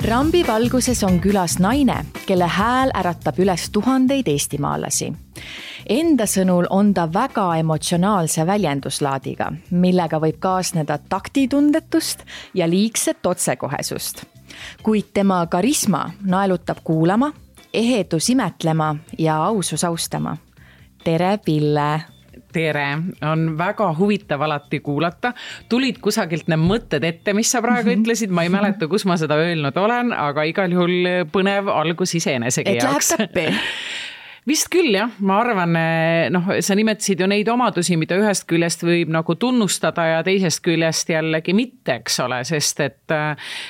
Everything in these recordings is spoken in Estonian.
Rambi valguses on külas naine, kelle hääl äratab üles tuhandeid eestimaalasi. Enda sõnul on ta väga emotsionaalse väljenduslaadiga, millega võib kaasneda taktitundetust ja liigset otsekohesust. Kuid tema karisma naelutab kuulama, ehedus imetlema ja ausus austama. Tere, Pille! Tere, on väga huvitav alati kuulata. Tulid kusagilt need mõtted ette, mis sa praegu ütlesid. Ma ei mäleta, kus ma seda öelnud olen, aga igal juhul põnev algus iseenesegi jaoks. Et läheb täppi. Vist küll, jah. Ma arvan, sa nimetasid ju neid omadusi, mida ühest küljest võib nagu tunnustada ja teisest küljest jällegi mitte, eks ole, sest et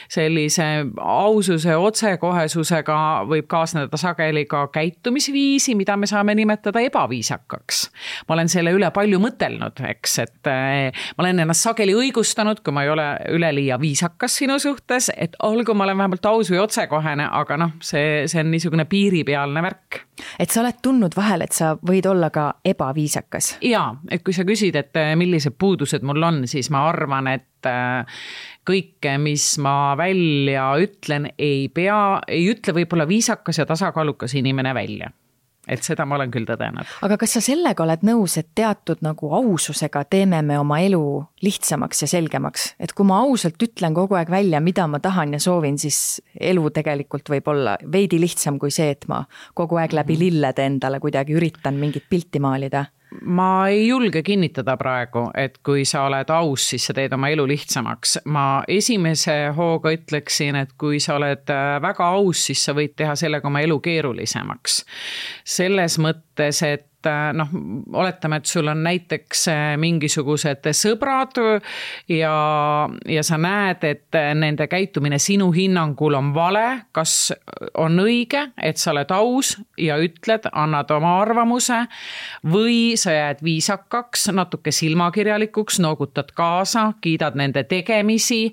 sellise aususe otsekohesusega võib kaasneda sageli ka käitumisviisi, mida me saame nimetada ebaviisakaks. Ma olen selle üle palju mõtelnud, eks, et ma olen ennast sageli õigustanud, kui ma ei ole üleliia viisakas sinu suhtes, et olgu ma olen vähemalt aus või otsekohene, aga see on niisugune piiripealne värk. Et sa oled tundnud vahel, et sa võid olla ka ebaviisakas. Jaa, et kui sa küsid, et millised puudused mul on, siis ma arvan, et kõike, mis ma välja ütlen, ei ütle võib-olla viisakas ja tasakaalukas inimene välja. Et seda ma olen küll tõdenud. Aga kas sa sellega oled nõus, et teatud nagu aususega teeme me oma elu lihtsamaks ja selgemaks? Et kui ma ausalt ütlen kogu aeg välja, mida ma tahan ja soovin, siis elu tegelikult võib olla veidi lihtsam kui see, et ma kogu aeg läbi lillede endale kuidagi üritan mingit pilti maalida. Ma ei julge kinnitada praegu, et kui sa oled aus, siis sa teed oma elu lihtsamaks. Ma esimese hooga ütleksin, et kui sa oled väga aus, siis sa võid teha sellega oma elu keerulisemaks. Selles mõttes, et oletame, et sul on näiteks mingisugused sõbrad ja sa näed, et nende käitumine sinu hinnangul on vale, kas on õige, et sa oled aus ja ütled, annad oma arvamuse või sa jääd viisakaks, natuke silmakirjalikuks, noogutad kaasa, kiidad nende tegemisi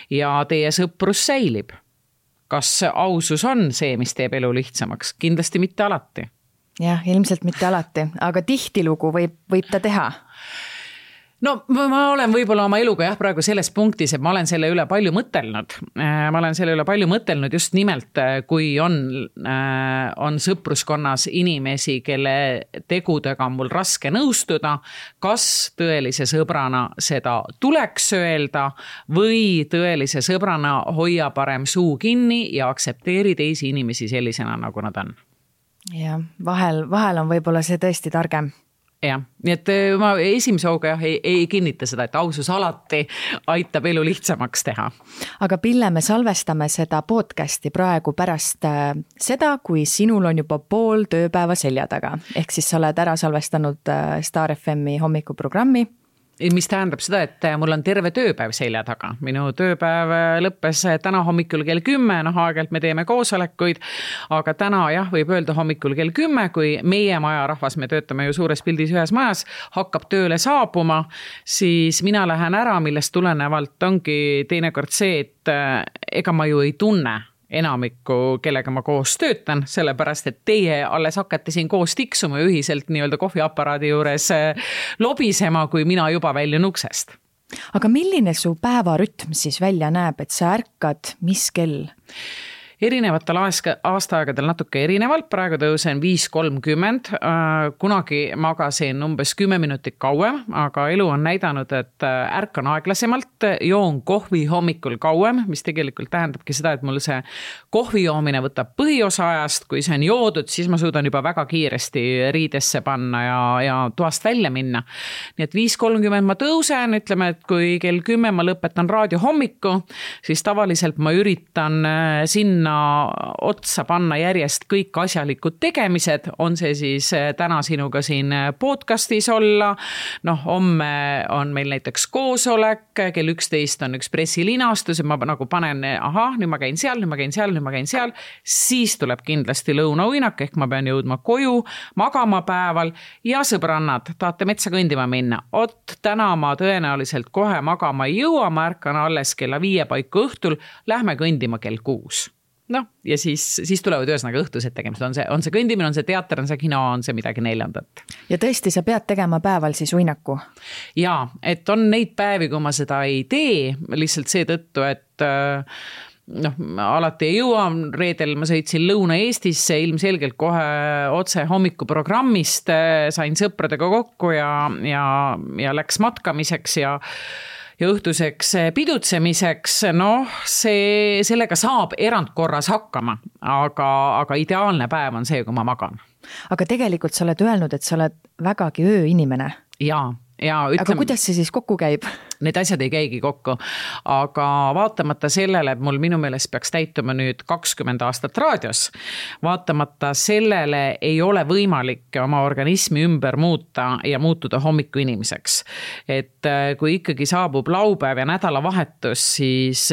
ja teie sõprus säilib. Kas ausus on see, mis teeb elu lihtsamaks? Kindlasti mitte alati. Jah, ilmselt mitte alati, aga tihtilugu võib ta teha. No ma olen võib-olla oma eluga praegu selles punktis, et ma olen selle üle palju mõtelnud. Ma olen selle üle palju mõtelnud just nimelt, kui on sõpruskonnas inimesi, kelle tegudega on mul raske nõustuda, kas tõelise sõbrana seda tuleks öelda või tõelise sõbrana hoia parem suu kinni ja aksepteeri teisi inimesi sellisena, nagu nad on. Ja vahel on võib-olla see tõesti targem. Jah, nii et ma esimese hooga ei kinnita seda, et ausus alati aitab elu lihtsamaks teha. Aga Pille, me salvestame seda podcasti praegu pärast seda, kui sinul on juba pool tööpäeva selja taga. Ehk siis sa oled ära salvestanud Star FM-i hommikuprogrammi. Mis tähendab seda, et mul on terve tööpäev selja taga. Minu tööpäev lõppes täna hommikul kell 10, aegelt me teeme koosolekuid, aga täna võib öelda hommikul kell 10, kui meie maja rahvas, me töötame ju suures pildis ühes majas, hakkab tööle saabuma, siis mina lähen ära, millest tulenevalt ongi teinekord see, et ega ma ju ei tunne enamikku, kellega ma koos töötan, sellepärast, et teie alles hakkate siin koos tiksuma ühiselt nii-öelda kohviaparaadi juures lobisema, kui mina juba väljun uksest. Aga milline su päevarütm siis välja näeb, et sa ärkad mis kell? Erinevatel aastaaegadel natuke erinevalt, praegu tõusen 5:30, kunagi magasin umbes 10 minutit kauem, aga elu on näidanud, et ärkan aeglasemalt, joon kohvi hommikul kauem, mis tegelikult tähendabki seda, et mul see kohvi joomine võtab põhiosa ajast, kui see on joodud, siis ma suudan juba väga kiiresti riidesse panna ja toast välja minna. Nii et 5:30 ma tõusen, ütleme, et kui kell 10 ma lõpetan raadio hommiku, siis tavaliselt ma üritan sinna otsa panna järjest kõik asjalikud tegemised, on see siis täna sinuga siin podcastis olla, homme on meil näiteks koosolek, kell 11 on üks pressilinastus, et ma nagu panen, nüüd ma käin seal, siis tuleb kindlasti lõunauinak, ehk ma pean jõudma koju, magama päeval ja sõbrannad, tahate metsa kõndima minna. Täna ma tõenäoliselt kohe magama ei jõua, ma ärkan alles kella 5 paiku õhtul, lähme kõndima kell 6. Ja siis tulevad ühesõnaga õhtused tegemised, on see kõndimine, on see teater, on see kino, on see midagi neljandat. Ja tõesti, sa pead tegema päeval siis uinaku? Jaa, et on neid päevi, kui ma seda ei tee, lihtsalt seetõttu, et alati ei jõua, reedel ma sõitsin Lõuna-Eestisse, ilmselgelt kohe otse hommikuprogrammist, sain sõpradega kokku ja läks matkamiseks ja õhtuseks pidutsemiseks, sellega saab erandkorras hakkama, aga ideaalne päev on see, kui ma magan. Aga tegelikult sa oled öelnud, et sa oled vägagi ööinimene. Jaa. Aga kuidas see siis kokku käib? Need asjad ei käigi kokku, aga vaatamata sellele, et mul minu meelest peaks täituma nüüd 20 aastat raadios, vaatamata sellele ei ole võimalik oma organismi ümber muuta ja muutuda hommiku inimeseks. Et kui ikkagi saabub laupäev ja nädalavahetus, siis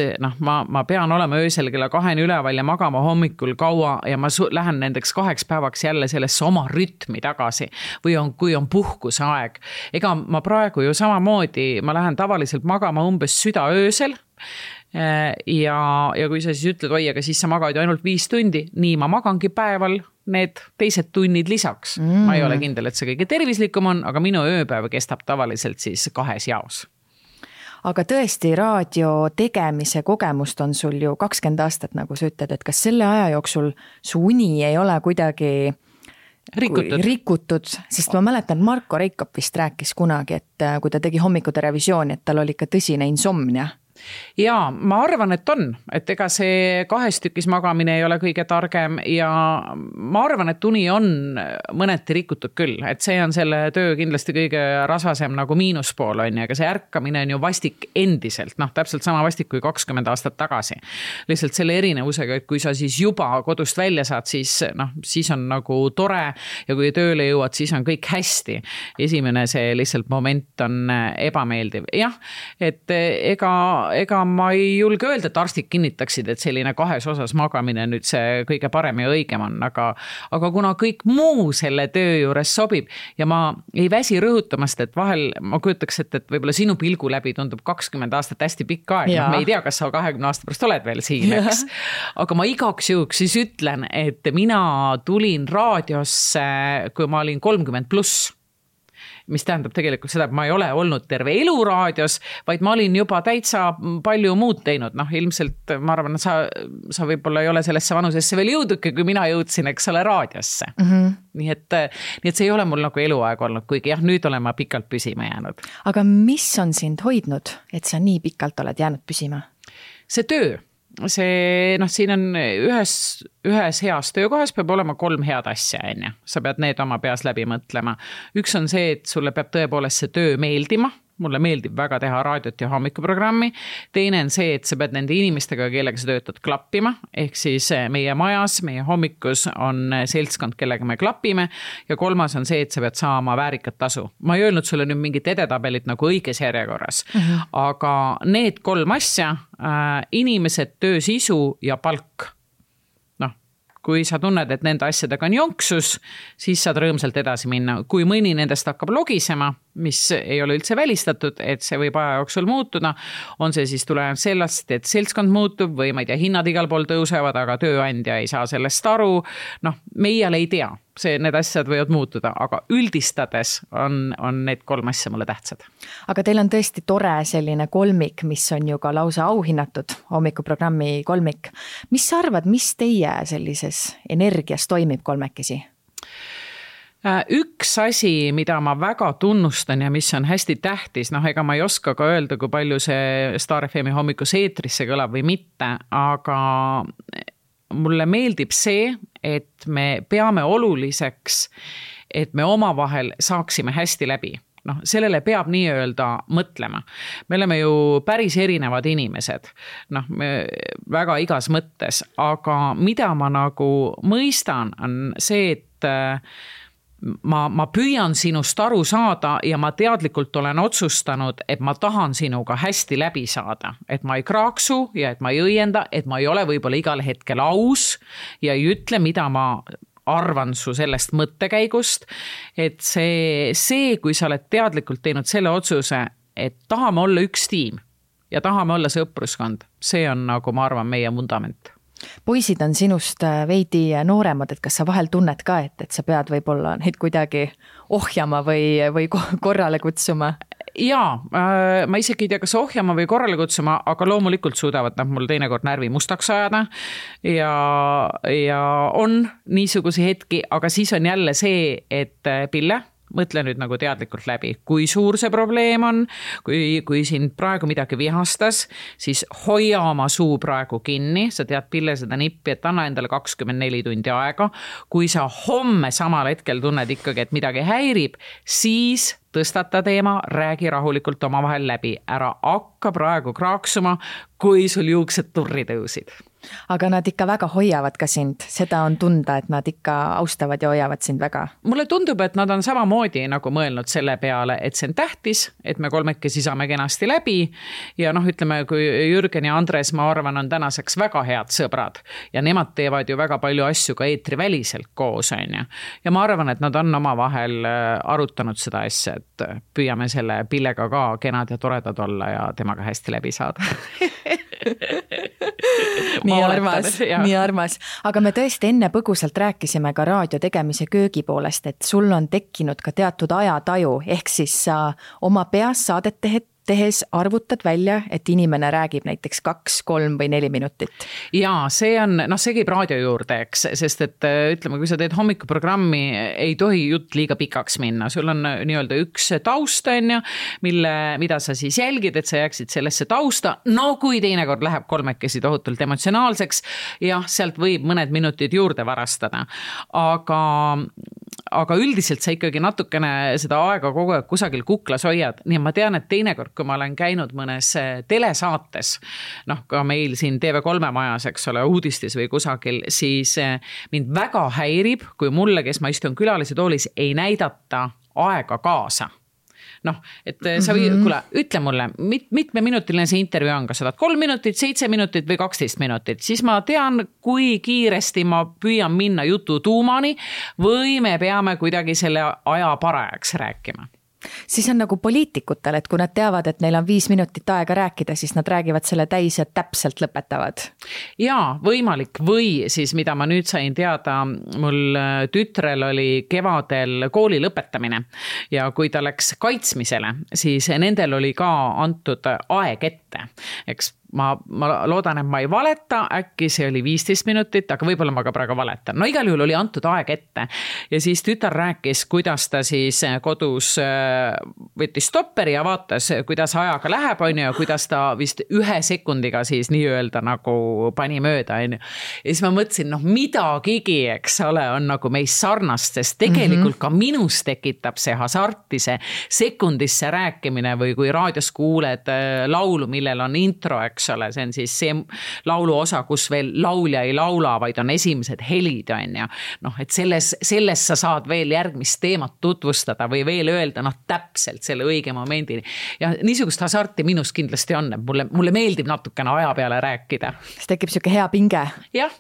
ma pean olema öösel kella 2 üleval ja magama hommikul kaua ja ma lähen nendeks 2 päevaks jälle sellesse oma rütmi tagasi või kui on puhkuse aeg. Ega ma praegu ju samamoodi, ma lähen tavaliselt magama umbes südaöösel ja kui sa siis ütled, oi, aga siis sa magad ju ainult 5 tundi, nii ma magangi päeval need teised tunnid lisaks. Ma ei ole kindel, et see kõige tervislikum on, aga minu ööpäev kestab tavaliselt siis 2 jaos. Aga tõesti, raadio tegemise kogemust on sul ju 20 aastat, nagu sa ütled, et kas selle aja jooksul su uni ei ole kuidagi rikutud, sest ma mäletan, Marko Reikop vist rääkis kunagi, et kui ta tegi hommikude revisiooni, et tal oli ikka tõsine insomnia. Jaa, ma arvan, et on, et ega see 2 tükis magamine ei ole kõige targem ja ma arvan, et uni on mõneti rikutud küll, et see on selle töö kindlasti kõige rasvasem nagu miinuspool on ja aga see ärkamine on ju vastik endiselt, täpselt sama vastik kui 20 aastat tagasi. Lihtsalt selle erinevusega, et kui sa siis juba kodust välja saad, siis on nagu tore ja kui tööle jõuad, siis on kõik hästi. Esimene see lihtsalt moment on ebameeldiv. Jah, et ega ma ei julge öelda, et arstid kinnitaksid, et selline 2 osas magamine nüüd see kõige parem ja õigem on, aga kuna kõik muu selle töö juures sobib ja ma ei väsi rõhutamast, et vahel ma kujutaks, et võib-olla sinu pilgu läbi tundub 20 aastat hästi pikk aeg, me ei tea, kas sa 20 aasta pärast oled veel siin, eks. Aga ma igaks juhuks siis ütlen, et mina tulin raadiosse, kui ma olin 30+. Mis tähendab tegelikult seda, et ma ei ole olnud terve elu raadios, vaid ma olin juba täitsa palju muud teinud. Ilmselt ma arvan, et sa võib-olla ei ole sellesse vanusesse veel jõuduki, kui mina jõudsin, eks ole, raadiosse. Nii et see ei ole mul nagu eluaeg olnud, kuigi jah, nüüd olen ma pikalt püsima jäänud. Aga mis on sind hoidnud, et sa nii pikalt oled jäänud püsima? See töö. Siin on ühes heas töökohas peab olema 3 head asja, enne. Sa pead need oma peas läbi mõtlema. Üks on see, et sulle peab tõepoolest see töö meeldima. Mulle meeldib väga teha raadiot ja hommikuprogrammi. Teine on see, et sa pead nende inimestega, kellega sa töötad, klappima. Ehk siis meie majas, meie hommikus on seltskond, kellega me klapime. Ja 3. on see, et sa pead saama väärikat tasu. Ma ei öelnud sulle nüüd mingit edetabelit nagu õiges järjekorras. Aga need 3 asja, inimesed, töö sisu ja palk. Kui sa tunned, et nende asjadega on jonksus, siis saad rõõmsalt edasi minna. Kui mõni nendest hakkab logisema, mis ei ole üldse välistatud, et see võib aja jooksul muutuda, on see siis tulenev sellest, et seltskond muutub või ma ei tea, hinnad igal pool tõusevad, aga tööandja ei saa sellest aru. Meie ei tea, need asjad võivad muutuda, aga üldistades on need 3 asja mulle tähtsad. Aga teil on tõesti tore selline kolmik, mis on ju ka lausa auhinnatud, hommikuprogrammi kolmik. Mis sa arvad, mis teie sellises energias toimib kolmekesi? Üks asi, mida ma väga tunnustan ja mis on hästi tähtis, ega ma ei oska ka öelda, kui palju see Star FM hommikus eetrisse kõlab või mitte, aga mulle meeldib see, et me peame oluliseks, et me omavahel saaksime hästi läbi. Sellele peab nii-öelda mõtlema. Me oleme ju päris erinevad inimesed, väga igas mõttes, aga mida ma nagu mõistan, on see, et ma püüan sinust aru saada ja ma teadlikult olen otsustanud, et ma tahan sinuga hästi läbi saada, et ma ei kraaksu ja et ma ei õienda, et ma ei ole võib-olla igal hetkel aus ja ei ütle, mida ma arvan su sellest mõttekäigust, et see, kui sa oled teadlikult teinud selle otsuse, et tahame olla üks tiim ja tahame olla sõpruskond, see on nagu ma arvan meie vundament. Poisid on sinust veidi nooremad, et kas sa vahel tunned ka, et sa pead võib-olla neid kuidagi ohjama või korrale kutsuma? Jaa, ma isegi ei tea, kas ohjama või korrale kutsuma, aga loomulikult suudavad nad mul teinekord närvi mustaks ajada ja on niisugusi hetki, aga siis on jälle see, et Pille, mõtle nüüd nagu teadlikult läbi, kui suur see probleem on, kui sind praegu midagi vihastas, siis hoia oma suu praegu kinni, sa tead Pille seda nippi, et anna endale 24 tundi aega. Kui sa homme samal hetkel tunned ikkagi, et midagi häirib, siis tõstata teema, räägi rahulikult omavahel läbi. Ära hakka praegu kraaksuma, kui sul juuksed turri tõusid. Aga nad ikka väga hoiavad ka sind, seda on tunda, et nad ikka austavad ja hoiavad sind väga. Mulle tundub, et nad on samamoodi nagu mõelnud selle peale, et see on tähtis, et me kolmekesi saame kenasti läbi ja ütleme, kui Jürgen ja Andres, ma arvan, on tänaseks väga head sõbrad ja nemad teevad ju väga palju asju ka eetriväliselt koos, on ju. Ja ma arvan, et nad on omavahel arutanud seda asja, et püüame selle Pillega ka kenad ja toredad olla ja temaga hästi läbi saada. nii armas. Aga me tõesti enne põgusalt rääkisime ka raadio tegemise köögi poolest, et sul on tekkinud ka teatud ajataju, ehk siis sa oma peas saadet tehes arvutad välja, et inimene räägib näiteks 2, 3 või 4 minutit. Jaa, see on, see käib raadio juurde, eks, sest et ütleme, kui sa teed hommikuprogrammi, ei tohi jutt liiga pikaks minna. Sul on nii-öelda üks taust, on ju, mida sa siis jälgid, et sa jääksid sellesse tausta. No kui teinekord läheb kolmekesi tohutult emotsionaalseks, jah, sealt võib mõned minutid juurde varastada. Aga üldiselt sa ikkagi natukene seda aega kogu aeg kusagil kuklas hoiad. Nii ma tean, et teinekord, kui ma olen käinud mõnes telesaates, ka meil siin TV3 majas, eks ole, uudistes või kusagil, siis mind väga häirib, kui mulle, kes ma istun külalise toolis, ei näidata aega kaasa. Et sa kuule, ütle mulle, mitmeminutiline see intervjuu on, kas sa tahad 3 minutit, 7 minutit või 12 minutit, siis ma tean, kui kiiresti ma püüan minna jutu tuumani või me peame kuidagi selle aja parajaks rääkima. Siis on nagu poliitikutel, et kui nad teavad, et neil on 5 minutit aega rääkida, siis nad räägivad selle täis ja täpselt lõpetavad. Jaa, võimalik. Või siis, mida ma nüüd sain teada, mul tütrel oli kevadel kooli lõpetamine ja kui ta läks kaitsmisele, siis nendel oli ka antud aeg ette. Eks ma loodan, et ma ei valeta, äkki see oli 15 minutit, aga võib-olla ma ka praegu valetan. No igal juhul oli antud aeg ette ja siis tütar rääkis, kuidas ta siis kodus võttis stopperi ja vaatas, kuidas ajaga läheb, on ju, ja kuidas ta vist 1 sekundiga siis nii-öelda nagu pani mööda, on ju. Ja siis ma mõtlesin, midagigi, eks ole, on nagu meist sarnast, sest tegelikult ka minus tekitab see hasarti, see sekundisse rääkimine või kui raadios kuuled laulu, millel on intro, eks ole, see on siis see laulu osa, kus veel laulja ei laula, vaid on esimesed helid, on ju. Et selles sa saad veel järgmist teemat tutvustada või veel öelda, täpselt selle õige momendini. Ja niisugust hasarti minus kindlasti on, mulle meeldib natukene aja peale rääkida. Siis tekib siuke hea pinge. Jah.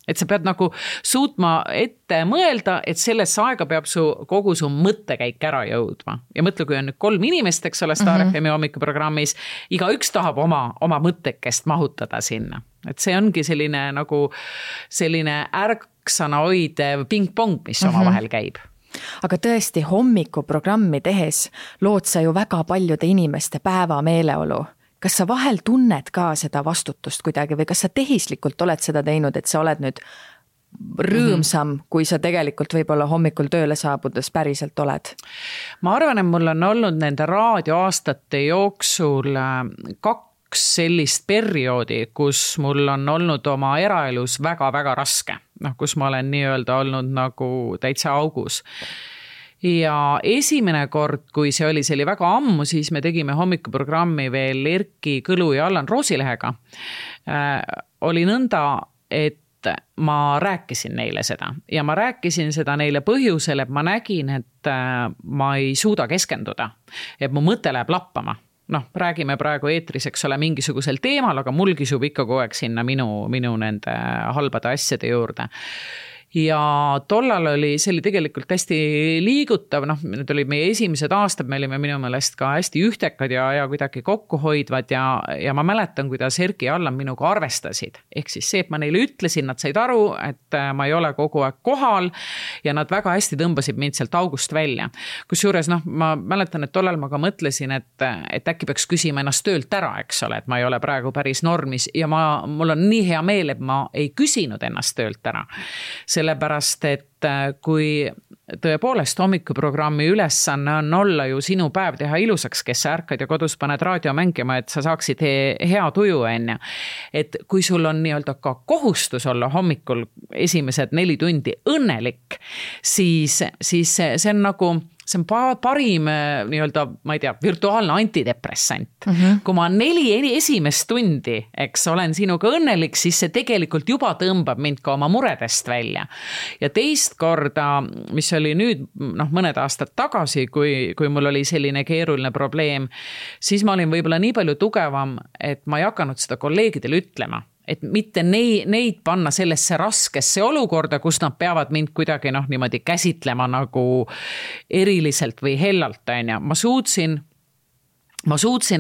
Et sa pead nagu suutma ette mõelda, et sellesse aega peab kogu su mõttekäik ära jõudma. Ja mõtle, kui on nüüd 3 inimest, eks ole, Star FM hommikuprogrammis, iga üks tahab oma mõttekest mahutada sinna. Et see ongi selline ärksana hoidev ping-pong, mis omavahel käib. Aga tõesti, hommikuprogrammi tehes lood sa ju väga paljude inimeste päeva meeleolu. Kas sa vahel tunned ka seda vastutust kuidagi või kas sa tehislikult oled seda teinud, et sa oled nüüd rõõmsam, kui sa tegelikult võib-olla hommikul tööle saabudes päriselt oled? Ma arvan, et mul on olnud nende raadioaastate jooksul 2 sellist perioodi, kus mul on olnud oma eraelus väga-väga raske. Kus ma olen nii-öelda olnud nagu täitsa augus. Ja esimene kord, kui see oli väga ammu, siis me tegime hommikuprogrammi veel Erki Kõlu ja Allan Roosilehega. Oli nõnda, et ma rääkisin neile seda ja ma rääkisin seda neile põhjusel, et ma nägin, et ma ei suuda keskenduda, et mu mõte läheb lappama. Räägime praegu eetris, eks ole, mingisugusel teemal, aga mul kisub ikka kogu aeg sinna minu nende halbade asjade juurde. ja tollal see oli tegelikult hästi liigutav, need olid meie esimesed aastad, me olime minu meelest ka hästi ühtekad ja kuidagi kokkuhoidvad ja ma mäletan, kuidas Erki ja Allan minuga arvestasid. Ehk siis see, et ma neile ütlesin, nad said aru, et ma ei ole kogu aeg kohal ja nad väga hästi tõmbasid mind sealt august välja. Kusjuures ma mäletan, et tollal ma ka mõtlesin, et äkki peaks küsima ennast töölt ära, eks ole, et ma ei ole praegu päris normis ja mul on nii hea meel, et ma ei küsinud ennast töölt ära. Sellepärast, et kui tõepoolest hommikuprogrammi ülesanne on olla ju sinu päev teha ilusaks, kes sa ärkad ja kodus paned raadio mängima, et sa saaksid hea tuju enne. Et kui sul on nii-öelda ka kohustus olla hommikul esimesed 4 tundi õnnelik, siis see on nagu see on parim nii-öelda, ma ei tea, virtuaalne antidepressant. Kui ma 4 esimest tundi, eks olen sinuga õnnelik, siis see tegelikult juba tõmbab mind ka oma muredest välja. Ja teist korda, mis oli nüüd mõned aastad tagasi, kui mul oli selline keeruline probleem, siis ma olin võib-olla nii palju tugevam, et ma ei hakanud seda kolleegidele ütlema. Et mitte neid panna sellesse raskesse olukorda, kus nad peavad mind kuidagi niimoodi käsitlema nagu eriliselt või hellalt. Ma suutsin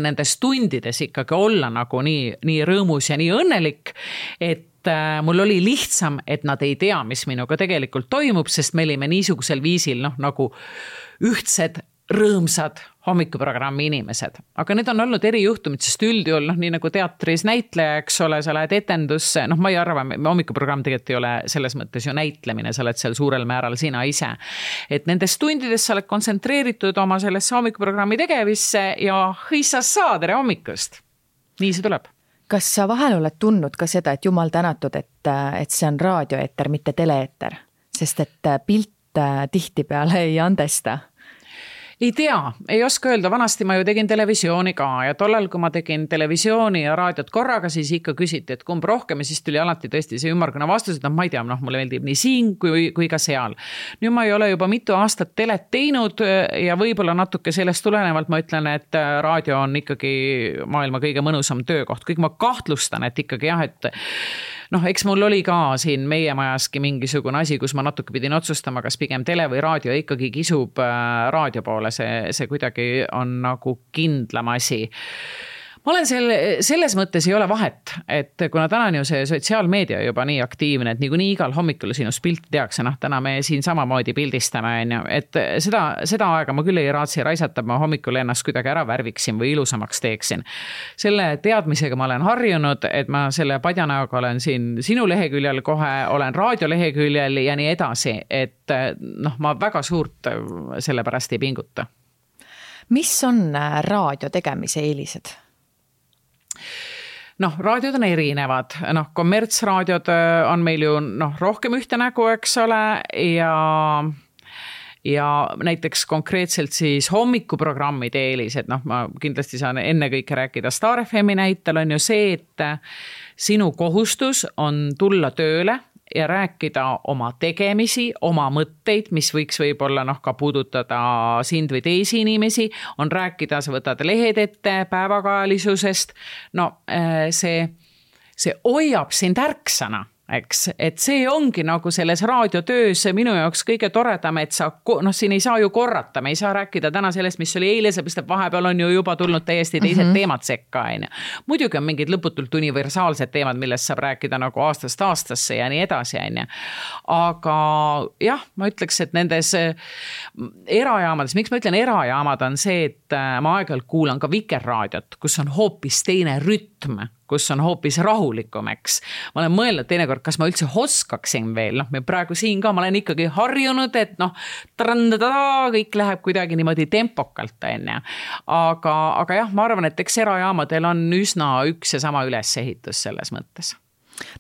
nendes tundides ikkagi olla nagu nii rõõmus ja nii õnnelik, et mul oli lihtsam, et nad ei tea, mis minuga tegelikult toimub, sest me olime niisugusel viisil nagu ühtsed, rõõmsad hommikuprogrammi inimesed. Aga need on olnud erijuhtumid, sest üldjuhul, nii nagu teatris näitleja, eks ole, sa lähed etendusse, ma ei arva, hommikuprogramm tegelikult ei ole selles mõttes ju näitlemine, sa oled seal suurel määral sina ise. Et nendes tundides sa oled kontsentreeritud oma sellesse hommikuprogrammi tegevisse ja hõissas saa, tere hommikust. Nii see tuleb. Kas sa vahel oled tundnud ka seda, et jumal tänatud, et see on raadioeeter, mitte teleeeter? Sest et pilt tihtipeale ei andesta. Ei tea, ei oska öelda, vanasti ma ju tegin televisiooni ka ja tollal, kui ma tegin televisiooni ja raadiot korraga, siis ikka küsiti, et kumb rohkem ja siis tuli alati tõesti see ümmargune vastus, et ma ei tea, mulle meeldib nii siin kui ka seal. Nüüd ma ei ole juba mitu aastat telet teinud ja võib-olla natuke sellest tulenevalt ma ütlen, et raadio on ikkagi maailma kõige mõnusam töökoht. Kõik ma kahtlustan, et ikkagi jah, et eks mul oli ka siin meie majaski mingisugune asi, kus ma natuke pidin otsustama, kas pigem tele või raadio ikkagi kisub raadio poole. See kuidagi on nagu kindlam asi. Ma olen selles mõttes ei ole vahet, et kuna täna on ju see sotsiaalmeedia juba nii aktiivne, et nii igal hommikul sinust pilti tehakse, täna me siin samamoodi pildistame, et seda aega ma küll ei raatsi raisata, ma hommikul ennast kuidagi ära värviksin või ilusamaks teeksin. Selle teadmisega ma olen harjunud, et ma selle padjanaga olen siin sinu leheküljel kohe, olen raadioleheküljel ja nii edasi, et ma väga suurt selle pärast ei pinguta. Mis on raadio tegemise eelised? Raadiod on erinevad, kommertsraadiod on meil ju rohkem ühte nägu, eks ole, ja näiteks konkreetselt siis hommikuprogrammide eelised, ma kindlasti saan ennekõike rääkida Star FM-i näitel, on ju see, et sinu kohustus on tulla tööle ja rääkida oma tegemisi, oma mõtteid, mis võiks võib-olla ka puudutada sind või teisi inimesi, on rääkida, sa võtad lehed ette päevakajalisusest, see hoiab sind ärksana. Eks, et see ongi nagu selles raadiotöös minu jaoks kõige toredam, et sa, siin ei saa ju korrata, me ei saa rääkida täna sellest, mis oli eile, sest vahepeal on ju juba tulnud täiesti teised teemad sekka. Muidugi on mingid lõputult universaalsed teemad, millest saab rääkida nagu aastast aastasse ja nii edasi. Aga jah, ma ütleks, et nendes erajaamades, miks ma ütlen erajaamad on see, et ma aeg-ajalt kuulan ka Vikerraadiot, kus on hoopis teine rütm, kus on hoopis rahulikum, eks. Ma olen mõelnud teinekord, kas ma üldse oskaksin veel, me praegu siin ka, ma olen ikkagi harjunud, et kõik läheb kuidagi niimoodi tempokalt, aga jah, ma arvan, et eks erajaamadel on üsna üks ja sama ülesehitus selles mõttes.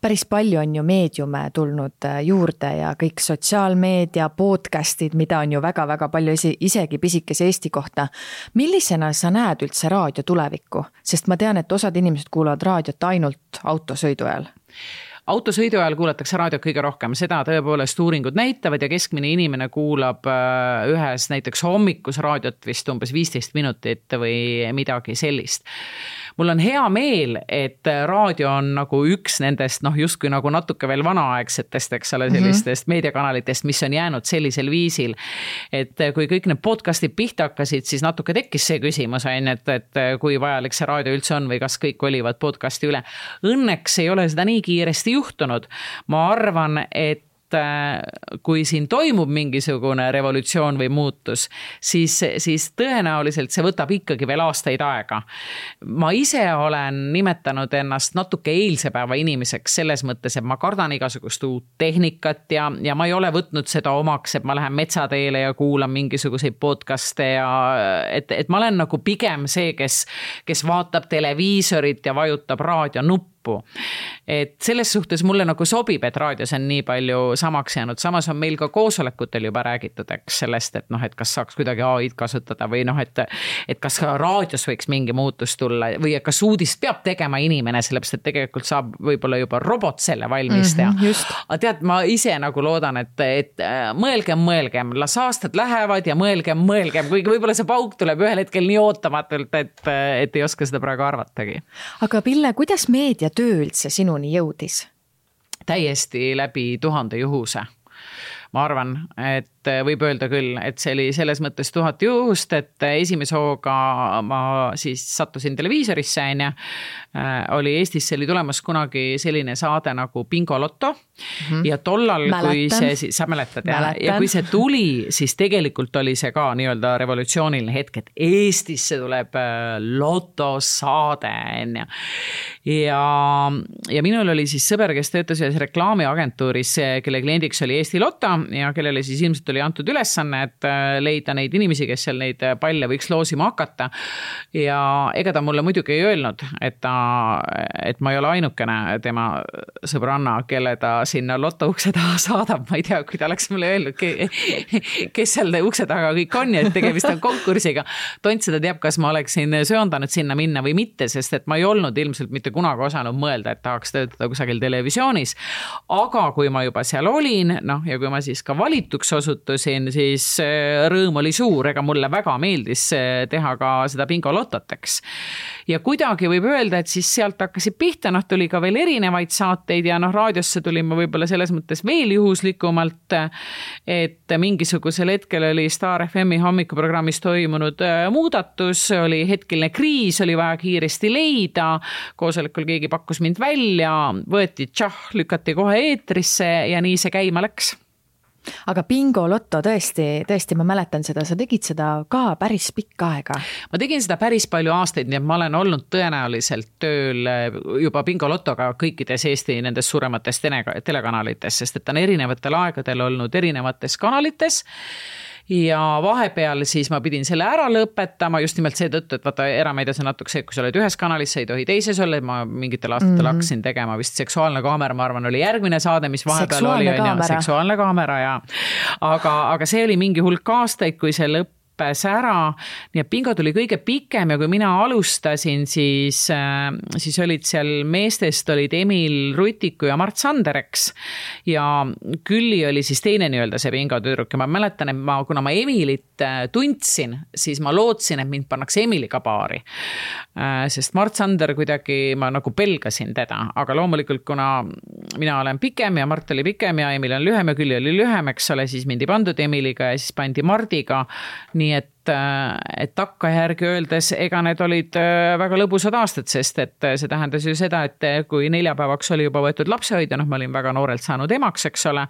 Päris palju on ju meediume tulnud juurde ja kõik sotsiaalmeedia, podcastid, mida on ju väga-väga palju isegi pisikese Eesti kohta. Millisena sa näed üldse raadio tulevikku? Sest ma tean, et osad inimesed kuulavad raadiot ainult autosõidu ajal. Autosõidu ajal kuulatakse raadiot kõige rohkem, seda tõepoolest uuringud näitavad ja keskmine inimene kuulab ühes näiteks hommikus raadiot vist umbes 15 minutit või midagi sellist. mul on hea meel, et raadio on nagu üks nendest, justkui nagu natuke veel vanaaegsetest, eks ole, sellistest meediakanalitest, mis on jäänud sellisel viisil. Et kui kõik need podcastid pihta hakkasid, siis natuke tekkis see küsimus, et kui vajalik see raadio üldse on või kas kõik olivad podcasti üle. Õnneks ei ole seda nii kiiresti juhtunud. Ma arvan, et kui siin toimub mingisugune revolutsioon või muutus, siis tõenäoliselt see võtab ikkagi veel aastaid aega. Ma ise olen nimetanud ennast natuke eilse päeva inimeseks selles mõttes, et ma kardan igasugust uut tehnikat ja ma ei ole võtnud seda omaks, et ma lähen metsateele ja kuulan mingisuguseid podcaste ja et ma olen nagu pigem see, kes vaatab televiisorit ja vajutab raadio nuppu. Et selles suhtes mulle nagu sobib, et raadios on nii palju samaks jäänud. Samas on meil ka koosolekutel juba räägitud sellest, et kas saaks kuidagi AI-d kasutada või et kas raadios võiks mingi muutus tulla või kas uudist peab tegema inimene, sellepärast, et tegelikult saab võib-olla juba robot selle valmis teha. Aga tead, ma ise nagu loodan, et mõelgem, las aastad lähevad ja mõelgem, kuigi võib-olla see pauk tuleb ühel hetkel nii ootamatult, et ei oska seda praegu arvatagi. Aga Pille, kuidas meedia töö üldse sinuni jõudis? Täiesti läbi 1000 juhuse. Ma arvan, et võib öelda küll, et see oli selles mõttes 1000 juhust, et esimese hooga ma siis sattusin televiisorisse, oli Eestis oli tulemas kunagi selline saade nagu Bingo Lotto ja tollal, kui see, sa mäletad, ja kui see tuli, siis tegelikult oli see ka nii-öelda revolutsiooniline hetk, et Eestisse tuleb lotosaade. Ja minul oli siis sõber, kes töötas ühes reklaamiagentuuris, kelle kliendiks oli Eesti Lotto ja kellele siis ilmselt oli antud ülesanne, et leida neid inimesi, kes seal neid palle võiks loosima hakata. Ja ega ta mulle muidugi ei öelnud, et ma ei ole ainukene tema sõbranna, kelle ta sinna loto ukse taha saadab. Ma ei tea, kui ta oleks mulle öelnud, kes seal ukse taga kõik on ja et tegemist on konkursiga. Tont seda teab, kas ma oleksin sööndanud sinna minna või mitte, sest et ma ei olnud ilmselt mitte kunagi osanud mõelda, et tahaks töötada kusagil televisioonis. Aga kui ma juba seal olin, ja kui ma siis ka valituks osutusin, siis rõõm oli suur, ega mulle väga meeldis teha ka seda Bingo Lototeks. Ja kuidagi võib öelda, et siis sealt hakkasid pihta, tuli ka veel erinevaid saateid ja raadiosse tulin ma võib-olla selles mõttes veel juhuslikumalt, et mingisugusel hetkel oli Star FM-i hommikuprogrammis toimunud muudatus, oli hetkeline kriis, oli vaja kiiresti leida, koosolekul keegi pakkus mind välja, võeti lükati kohe eetrisse ja nii see käima läks. Aga Bingo Lotto tõesti, ma mäletan seda, sa tegid seda ka päris pikka aega. Ma tegin seda päris palju aastaid, nii et ma olen olnud tõenäoliselt tööl juba Bingo Lottoga kõikides Eesti nendes suuremates telekanalites, sest et on erinevatel aegadel olnud erinevates kanalites. Ja vahepeal siis ma pidin selle ära lõpetama just nimelt seetõttu, et vaata erameedias on natuke see, kui sa oled ühes kanalis, sa ei tohi teises olla, ma mingitel aastatel hakkasin tegema vist Seksuaalne kaamera, ma arvan, oli järgmine saade, mis vahepeal oli Seksuaalne kaamera ja aga see oli mingi hulk aastaid, kui see lõppes ära, nii et Bingo tuli kõige pikem ja kui mina alustasin, siis olid seal meestest olid Emil Rutiku ja Mart Sandereks ja Külli oli siis teine nii-öelda see Bingo tüdruk ja ma mäletan, et kuna ma Emilit tundsin, siis ma lootsin, et mind pannakse Emiliga paari, sest Mart Sander kuidagi ma nagu pelgasin teda, aga loomulikult kuna mina olen pikem ja Mart oli pikem ja Emil on lühem ja Külli oli lühem, eks ole, siis mind ei pandud Emiliga ja siis pandi Mardiga, nii et takkajärgi öeldes, ega need olid väga lõbusad aastad, sest et see tähendas ju seda, et kui neljapäevaks oli juba võetud lapsehoidja, ma olin väga noorelt saanud emaks, eks ole,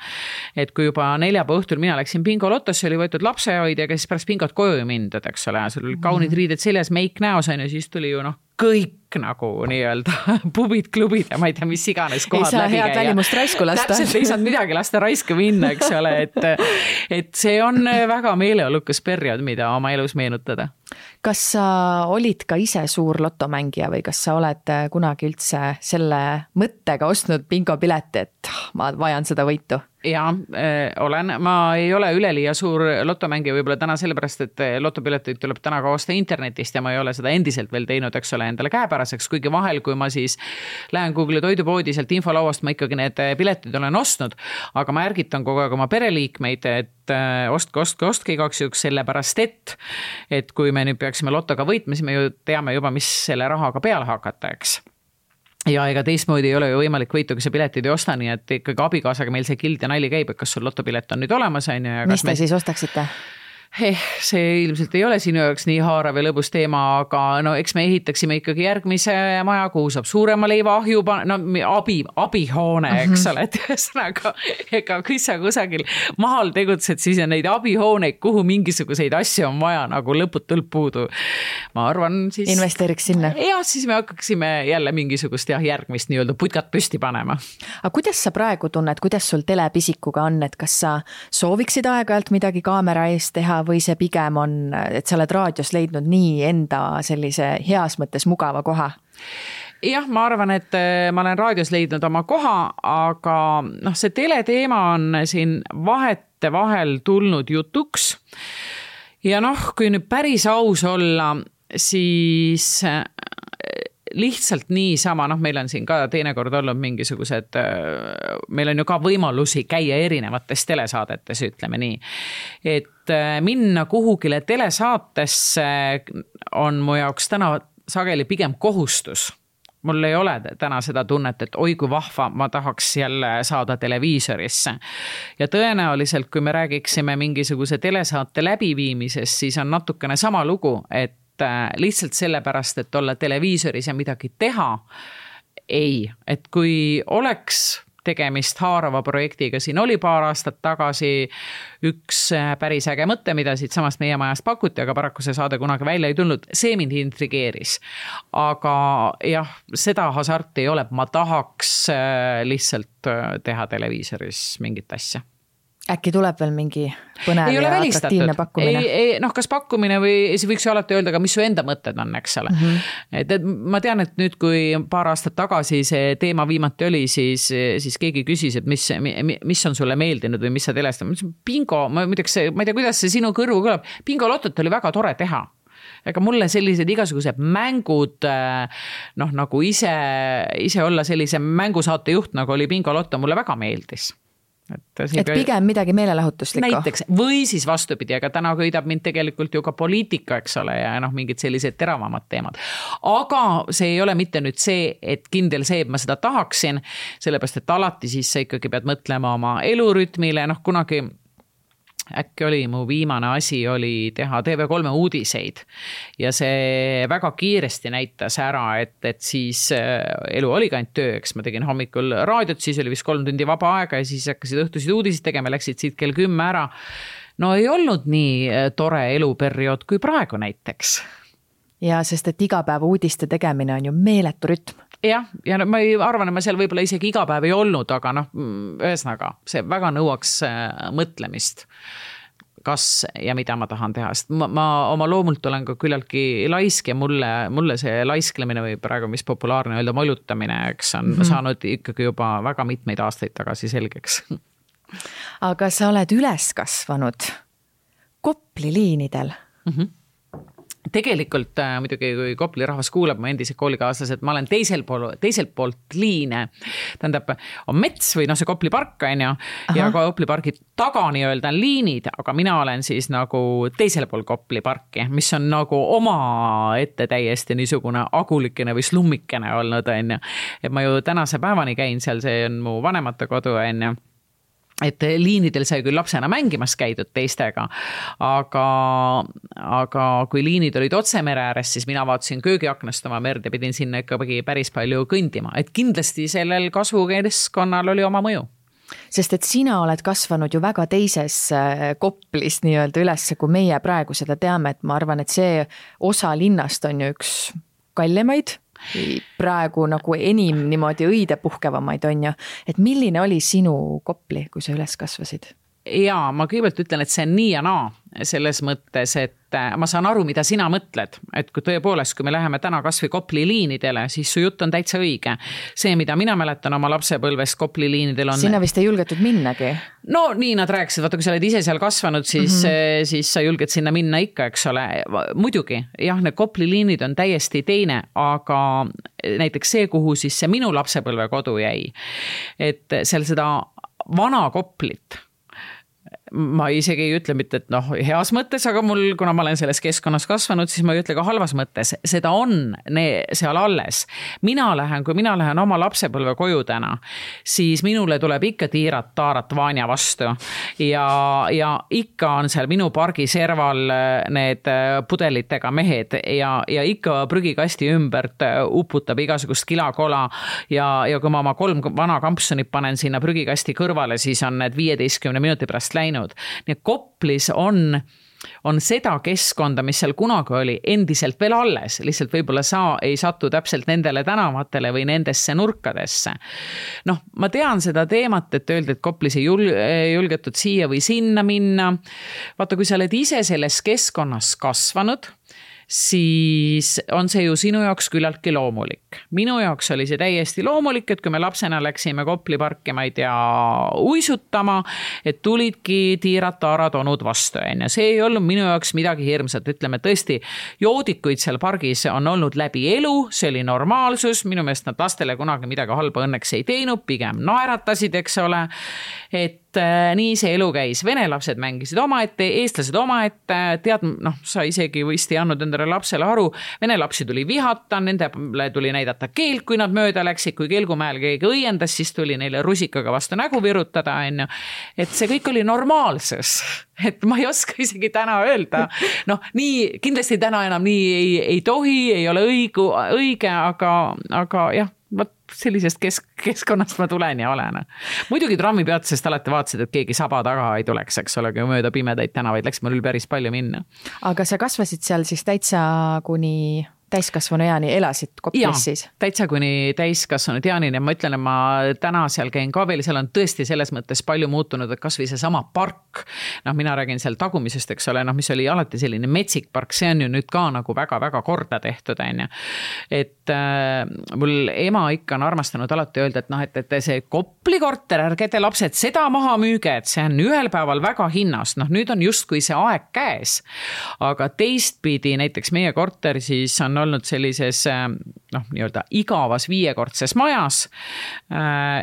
et kui juba neljapäeva õhtul mina läksin Bingo Lotosse, oli võetud lapsehoidja, kes pärast Bingot koju mindud, eks ole, sul oli kaunid riided seljas, meik näos, ja siis tuli ju kõik nagu nii-öelda pubid, klubid ja ma ei tea, mis iganes kohad läbi käia. Head välimust raisku lasta. Täpselt ei saanud midagi lasta raisku minna, eks ole, et see on väga meeleolukas periood, mida oma elus meenutada. Kas sa olid ka ise suur lotomängija või kas sa oled kunagi üldse selle mõttega ostnud Bingo pileti, et ma vajan seda võitu? Ja olen, ma ei ole üleliia suur lotomängija võib-olla täna sellepärast, et lotopileteid tuleb täna ka osta internetist ja ma ei ole seda endiselt veel teinud, eks ole, endale käepäraseks, kuigi vahel, kui ma siis lähen Google toidupoodi sealt infolauast, ma ikkagi need piletid olen ostnud, aga ma ärgitan kogu aeg oma pereliikmeid, et ostke igaks juhuks sellepärast, et kui me nüüd peaksime lotoga võitma, siis me ju teame juba, mis selle rahaga peale hakata, eks. Ja ega teistmoodi ei ole ju võimalik võitu, kui sa piletid ei osta, nii et ikkagi abikaasaga meil see kild ja nali käib, et kas sul lotopilet on nüüd olemas, on ju. Mis te siis ostaksite? See ilmselt ei ole sinu jaoks nii haarav ja lõbus teema, aga no eks me ehitaksime ikkagi järgmise maja, kuhu saab suurema leivaahju, abihoone, eks ole, et ühesõnaga, ega kui sa kusagil maal tegutsed, siis on neid abihooneid, kuhu mingisuguseid asju on vaja nagu lõputult puudu. Ma arvan siis... Investeeriks sinna? Ja siis me hakkaksime jälle mingisugust järgmist nii-öelda putkat püsti panema. Aga kuidas sa praegu tunned, kuidas sul telepisikuga on, et kas sa sooviksid aeg-ajalt midagi kaamera eest teha või see pigem on, et sa oled raadios leidnud nii enda sellise heas mõttes mugava koha? Jah, ma arvan, et ma olen raadios leidnud oma koha, aga see teleteema on siin vahetevahel tulnud jutuks. Ja kui nüüd päris aus olla, siis lihtsalt niisama, meil on siin ka teinekord olnud mingisugused, meil on ju ka võimalusi käia erinevates telesaadetes, ütleme nii. Et minna kuhugile telesaatesse on mu jaoks täna sageli pigem kohustus. Mul ei ole täna seda tunnet, et oi kui vahva, ma tahaks jälle saada televiisorisse. Ja tõenäoliselt, kui me räägiksime mingisuguse telesaate läbiviimisest, siis on natukene sama lugu, et lihtsalt sellepärast, et olla televiisoris ja midagi teha, ei. Et kui oleks tegemist haarava projektiga, siin oli paar aastat tagasi üks päris äge mõte, mida siit samast meie majast pakuti, aga paraku see saade kunagi välja ei tulnud, see mind intrigeeris. Aga jah, seda hasarti ei ole, ma tahaks lihtsalt teha televiisoris mingit asja. Äkki tuleb veel mingi põnev ja atraktiivne pakkumine? Kas pakkumine või siis võiks ju alati öelda, mis su enda mõtted on, eks ole. Et ma tean, et nüüd, kui paar aastat tagasi see teema viimati oli, siis keegi küsis, et mis on sulle meeldinud või mis sa telestad. Bingo, ma ei tea, kuidas see sinu kõrvu kõlab. Bingo lotot oli väga tore teha. Ega mulle sellised igasugused mängud, nagu ise olla sellise mängusaate juht, nagu oli Bingo Lotto, mulle väga meeldis. Et pigem midagi meelelahutuslikku. Näiteks, või siis vastupidi, aga täna köidab mind tegelikult ju ka poliitika, eks ole, ja mingid sellised teravamad teemad. Aga see ei ole mitte nüüd see, et kindel see, et ma seda tahaksin, sellepärast, et alati siis sa ikkagi pead mõtlema oma elurütmile, kunagi äkki oli mu viimane asi oli teha TV3 uudiseid ja see väga kiiresti näitas ära, et siis elu oli ka ainult töö, eks ma tegin hommikul raadiot, siis oli vist 3 tundi vaba aega ja siis hakkasid õhtusid uudiseid tegema, läksid siit kell 10 ära. No ei olnud nii tore eluperiood kui praegu näiteks. Ja sest, et igapäeva uudiste tegemine on ju meeletu rütm. Ja ma ei arvan, et ma seal võib-olla isegi iga päev ei olnud, aga ühesõnaga, see väga nõuaks mõtlemist, kas ja mida ma tahan teha. Sest ma oma loomult olen ka küllaltki laisk ja mulle see laisklemine või praegu mis populaarne öelda molutamine, eks on saanud ikkagi juba väga mitmeid aastaid tagasi selgeks. Aga sa oled üles kasvanud Kopli liinidel. Tegelikult muidugi, kui Kopli rahvas kuulab mu endised koolikaaslased, ma olen teisel poolt liine. Tähendab, on mets või see Kopli park on ju, ja Kopli pargi taga nii-öelda on liinid, aga mina olen siis nagu teisel pool Kopli parki, mis on nagu oma ette täiesti niisugune agulikene või slummikene olnud on ju. Et ma ju tänase päevani käin seal, see on mu vanemate kodu on ju. Et liinidel sai küll lapsena mängimas käidud teistega, aga kui liinid olid otse mere ääres, siis mina vaatasin köögiaknast oma merd ja pidin sinna ikkagi päris palju kõndima. Et kindlasti sellel kasvukeskkonnal oli oma mõju. Sest et sina oled kasvanud ju väga teises Koplis nii-öelda üles, kui meie praegu seda teame, et ma arvan, et see osa linnast on ju üks kallimaid praegu nagu enim niimoodi õide puhkevamaid on ju. Et milline oli sinu Kopli, kui sa üles kasvasid? Jaa, ma kõigepealt ütlen, et see on nii ja naa selles mõttes, et ma saan aru, mida sina mõtled. Et kui tõepoolest, kui me läheme täna kas või Kopli liinidele, siis su jutt on täitsa õige. See, mida mina mäletan oma lapsepõlves Kopli liinidel on... Sina vist ei julgetud minnagi? No nii nad rääkisid, vaata kui sa oled ise seal kasvanud, siis sa julged sinna minna ikka, eks ole. Muidugi, jah, need Kopli liinid on täiesti teine, aga näiteks see, kuhu siis see minu lapsepõlve kodu jäi. Et seal seda vana Koplit ma isegi ei ütle mitte, et noh, heas mõttes, aga mul, kuna ma olen selles keskkonnas kasvanud, siis ma ei ütle ka halvas mõttes. Seda on seal alles. Kui mina lähen oma lapsepõlve koju täna, siis minule tuleb ikka Tiirat-Taarat Vanja vastu ja ikka on seal minu pargi serval need pudelitega mehed ja ikka prügikasti ümbert uputab igasugust kilakola ja kui ma oma 3 vana kampsunit panen sinna prügikasti kõrvale, siis on need 15 minuti pärast läinud. Nii et Koplis on seda keskkonda, mis seal kunagi oli, endiselt veel alles, lihtsalt võib-olla sa ei satu täpselt nendele tänavatele või nendesse nurkadesse. Noh, ma tean seda teemat, et öelda, et Koplis ei julgetud siia või sinna minna. Vaata, kui sa oled ise selles keskkonnas kasvanud, siis on see ju sinu jaoks küllaltki loomulik. Minu jaoks oli see täiesti loomulik, et kui me lapsena läksime Kopli parki, ma ei tea, uisutama, et tulidki Tiirat-Taarad onud vastu. See ei olnud minu jaoks midagi hirmsat. Ütleme, tõesti, joodikuid seal pargis on olnud läbi elu, see oli normaalsus. Minu meelest nad lastele kunagi midagi halba õnneks ei teinud, pigem naeratasid, eks ole. Et nii see elu käis. Vene lapsed mängisid omaette, eestlased omaette, tead, noh, sa isegi vist ei andnud endale lapsele aru. Vene lapsi tuli vihata, nendele tuli näidata keelt, kui nad mööda läksid, kui Kelgumäel keegi õiendas, siis tuli neile rusikaga vastu nägu virutada. Et see kõik oli normaalsus. Et ma ei oska isegi täna öelda. Noh, nii, kindlasti täna enam nii ei tohi, ei ole õige, aga jah, sellisest keskkonnast ma tulen ja olen. Muidugi trammipeatusest alati vaatasid, et keegi saba taga ei tuleks, eks ole, kui mööda pimedaid tänavaid läks mul päris palju minna. Aga sa kasvasid seal siis täitsa kuni täiskasvanu eani, elasid Koplis siis? Täitsa kuni täiskasvanu eani ja ma ütlen, et ma täna seal käin ka veel, seal on tõesti selles mõttes palju muutunud, et kas või see sama park, noh, mina räägin seal tagumisest, eks ole, noh, mis oli alati selline metsik park, see on ju nüüd ka nagu väga-väga korda tehtud, et mul ema ikka on armastanud alati öelda, et noh, et see Kopli korter, ärge te lapsed seda maha müüge, et see on ühel päeval väga hinnas, noh, nüüd on justkui see aeg käes, aga teistpidi näiteks meie korter siis on olnud sellises noh, nii-öelda igavas 5-kordses majas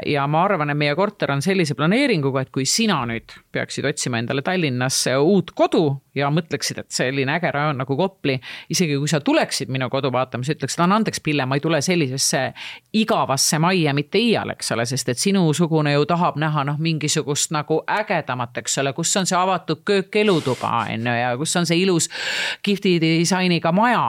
ja ma arvan, et meie korter on sellise planeeringuga, et kui sina nüüd peaksid otsima endale Tallinnasse uut kodu ja mõtleksid, et selline äge rajoon nagu Kopli, isegi kui sa tuleksid minu kodu vaatama, sa ütleksid, andeks Pille, ma ei tule sellisesse igavasse majja mitte iial, eks ole, sest et sinusugune ju tahab näha noh, mingisugust nagu ägedamat, eks ole, kus on see avatud köök elutuba ja kus on see ilus kihvti disainiga maja.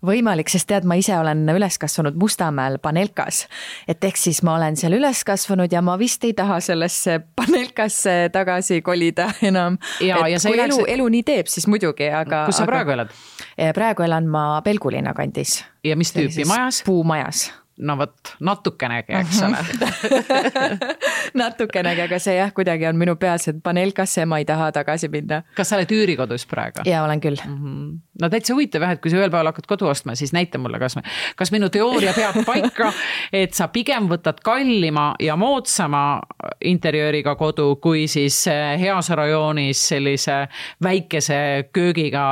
Võimalik, sest tead, ma ise olen üles kasvanud Mustamäel Panelkas, et ehk siis ma olen seal üles kasvanud ja ma vist ei taha sellesse Panelkasse tagasi kolida enam. Ja kui elu nii teeb, siis muidugi. Kus sa praegu elad? Praegu elan ma Pelgulinna kandis. Ja mis tüüpi majas? Puumajas. No võt, natukenegi, eks ole. Natukenegi, aga see jah, kuidagi on minu peas, et Panelkasse ma ei taha tagasi minna. Kas sa oled üürikodus praegu? Ja olen küll. No täitsa huvitav, et kui sa ühel päeval hakkad kodu ostma, siis näita mulle, kas minu teooria peab paika, et sa pigem võtad kallima ja moodsama interjööriga kodu, kui siis heas rajoonis sellise väikese köögiga,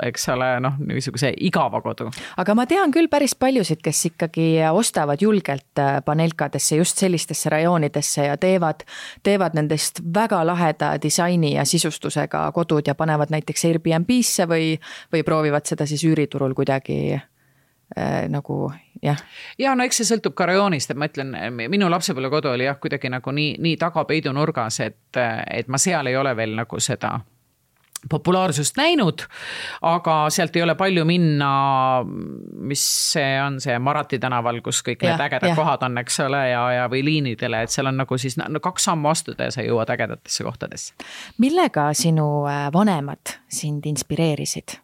eks ole, noh, niisuguse igava kodu. Aga ma tean küll päris paljusid, kes ikkagi ostavad julgelt Panelkadesse, just sellistesse rajoonidesse ja teevad nendest väga laheda disaini ja sisustusega kodud ja panevad näiteks Airbnb-sse või proovivad seda siis üüriturul kuidagi nagu, jah. Ja no eks see sõltub ka rajoonist, et ma ütlen, minu lapsepõlve kodu oli jah, kuidagi nagu nii tagapeidu nurgas, et ma seal ei ole veel nagu seda populaarsust näinud, aga sealt ei ole palju minna, mis see on see Marati tänaval, kus kõik need ägedad kohad on, eks ole, ja või liinidele, et seal on nagu siis 2 sammu astuda ja sa jõuad ägedatesse kohtadesse. Millega sinu vanemad sind inspireerisid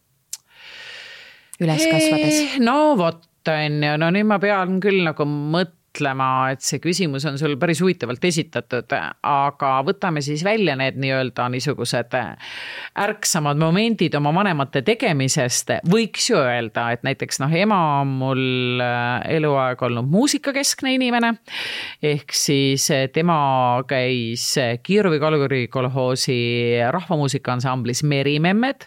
üles kasvades? No vot, no nüüd ma pean küll nagu et see küsimus on sul päris huvitavalt esitatud, aga võtame siis välja need nii-öelda niisugused ärksamad momendid oma vanemate tegemisest. Võiks ju öelda, et näiteks ema on mul eluaeg olnud muusikakeskne inimene, ehk siis tema käis Kiiruvi Kalguri kolhoosi rahvamuusikansamblis Merimemmed,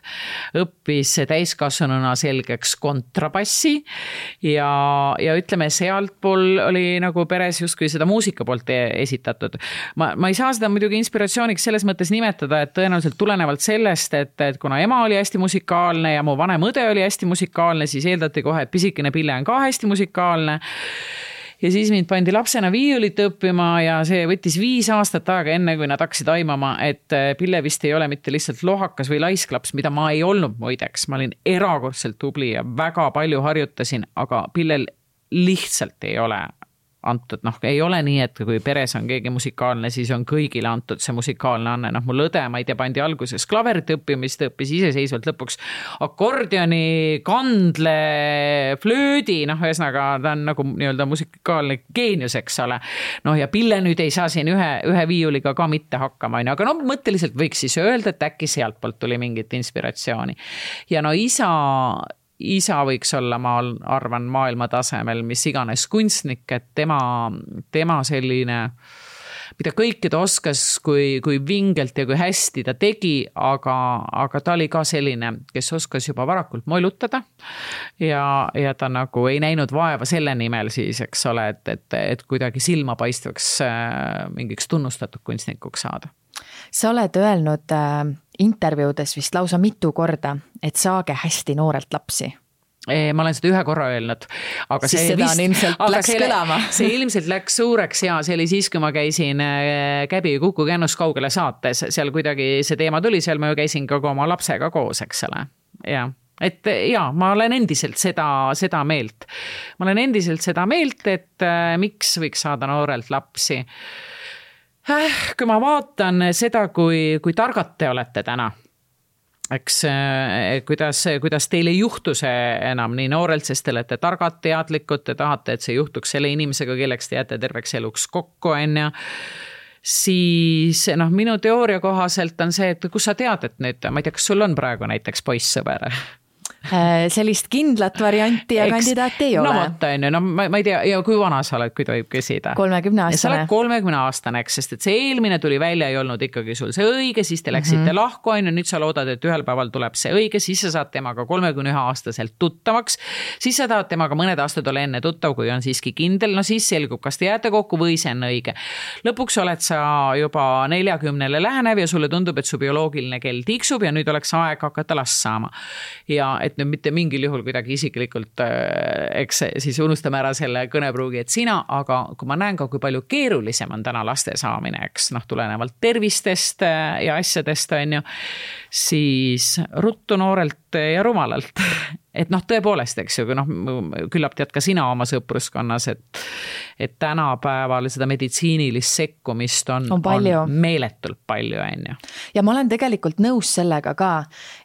õppis täiskasvanuna selgeks kontrabassi ja ütleme, sealtpool oli nagu peres justkui seda muusika poolt esitatud. Ma ei saa seda muidugi inspiratsiooniks selles mõttes nimetada, et tõenäoliselt tulenevalt sellest, et kuna ema oli hästi musikaalne ja mu vanem õde oli hästi musikaalne, siis eeldati kohe, et pisikene Pille on ka hästi musikaalne. Ja siis mind pandi lapsena viiulit õppima ja see võttis 5 aastat aega enne, kui nad hakkasid aimama, et Pille vist ei ole mitte lihtsalt lohakas või laisklaps, mida ma ei olnud muideks. Ma olin erakordselt tubli ja väga palju harjutasin, aga Pillel lihtsalt ei ole antud, ei ole nii, et kui peres on keegi musikaalne, siis on kõigile antud see musikaalne anne. Mul õde, ma ei tea, pandi alguses klaverit õppimist, õppis iseseisvalt lõpuks akordioni, kandle, flöödi, ühesõnaga ta on nagu nii-öelda musikaalne geenius, eks ole. Ja Pille nüüd ei saa siin ühe viiuliga ka mitte hakkama, aga mõtteliselt võiks siis öelda, et äkki sealt poolt tuli mingit inspiratsiooni. Ja isa võiks olla, ma arvan, maailma tasemel, mis iganes kunstnik, et tema selline, mida kõike ta oskas, kui vingelt ja kui hästi ta tegi, aga ta oli ka selline, kes oskas juba varakult molutada ja ta nagu ei näinud vaeva selle nimel siis, eks ole, et kuidagi silmapaistvaks mingiks tunnustatud kunstnikuks saada. Sa oled öelnud intervjuudes vist lausa mitu korda, et saage hästi noorelt lapsi. Ma olen seda ühe korra öelnud. Aga siis seda on ilmselt läks kõlama. See ilmselt läks suureks ja see oli siis, kui ma käisin Käbi Kuku Kännus kaugele saates. Seal kuidagi see teema tuli, seal ma ju käisin ka oma lapsega koos, eks ole. Et ma olen endiselt seda meelt. Ma olen endiselt seda meelt, et miks võiks saada noorelt lapsi. Kui ma vaatan seda, kui targad te olete täna, eks kuidas teil ei juhtu see enam nii noorelt, sest te olete targad, teadlikud, te tahate, et see juhtuks selle inimesega, kelleks te jääte terveks eluks kokku, siis minu teooria kohaselt on see, et kus sa tead, et nüüd, ma ei tea, kas sul on praegu näiteks poissõber? Sellist kindlat varianti ja kandidaati ei ole. Ma ei tea, ja kui vana sa oled, kui tohib küsida? 30-aastane. Sa oled 30-aastane, sest et see eelmine tuli välja, ei olnud ikkagi sul see õige, siis te läksite lahku, nüüd sa loodad, et ühel päeval tuleb see õige, siis sa saad temaga 31-aastaselt tuttavaks, siis sa tahad temaga mõned aastad ole enne tuttav, kui on siiski kindel, siis selgub, kas te jääte kokku või see on õige. Lõpuks oled sa juba 40-le lähenev ja sulle tundub, et su bioloogiline kell tiksub ja nüüd oleks aeg hakata last saama. Ja et nüüd mitte mingil juhul kuidagi isiklikult, eks siis unustame ära selle kõnepruugi, et sina, aga kui ma näen ka, kui palju keerulisem on täna laste saamine, eks tulenevalt tervistest ja asjadest, siis ruttu noorelt ja rumalalt. Et tõepoolest, eks ju, küllap tead ka sina oma sõpruskonnas, et tänapäeval seda meditsiinilist sekkumist on meeletult palju. Ja ma olen tegelikult nõus sellega ka,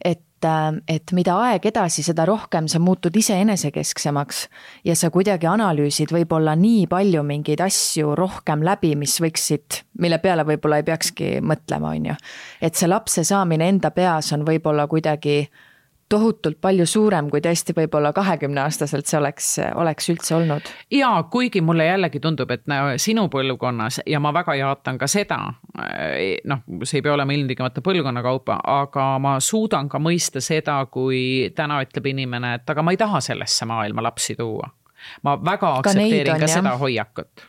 et mida aeg edasi, seda rohkem sa muutud ise enesekesksemaks ja sa kuidagi analüüsid võib-olla nii palju mingeid asju rohkem läbi, mille peale võib-olla ei peakski mõtlema, Et see lapse saamine enda peas on võib-olla kuidagi tohutult palju suurem, kui tõesti võib-olla 20-aastaselt see oleks üldse olnud. Ja kuigi mulle jällegi tundub, et sinu põlvkonnas, ja ma väga jaatan ka seda, see ei pea olema ilmtingimata põlvkonna kaupa, aga ma suudan ka mõista seda, kui täna ütleb inimene, et aga ma ei taha sellesse maailma lapsi tuua. Ma väga aktsepteerin ka seda hoiakut.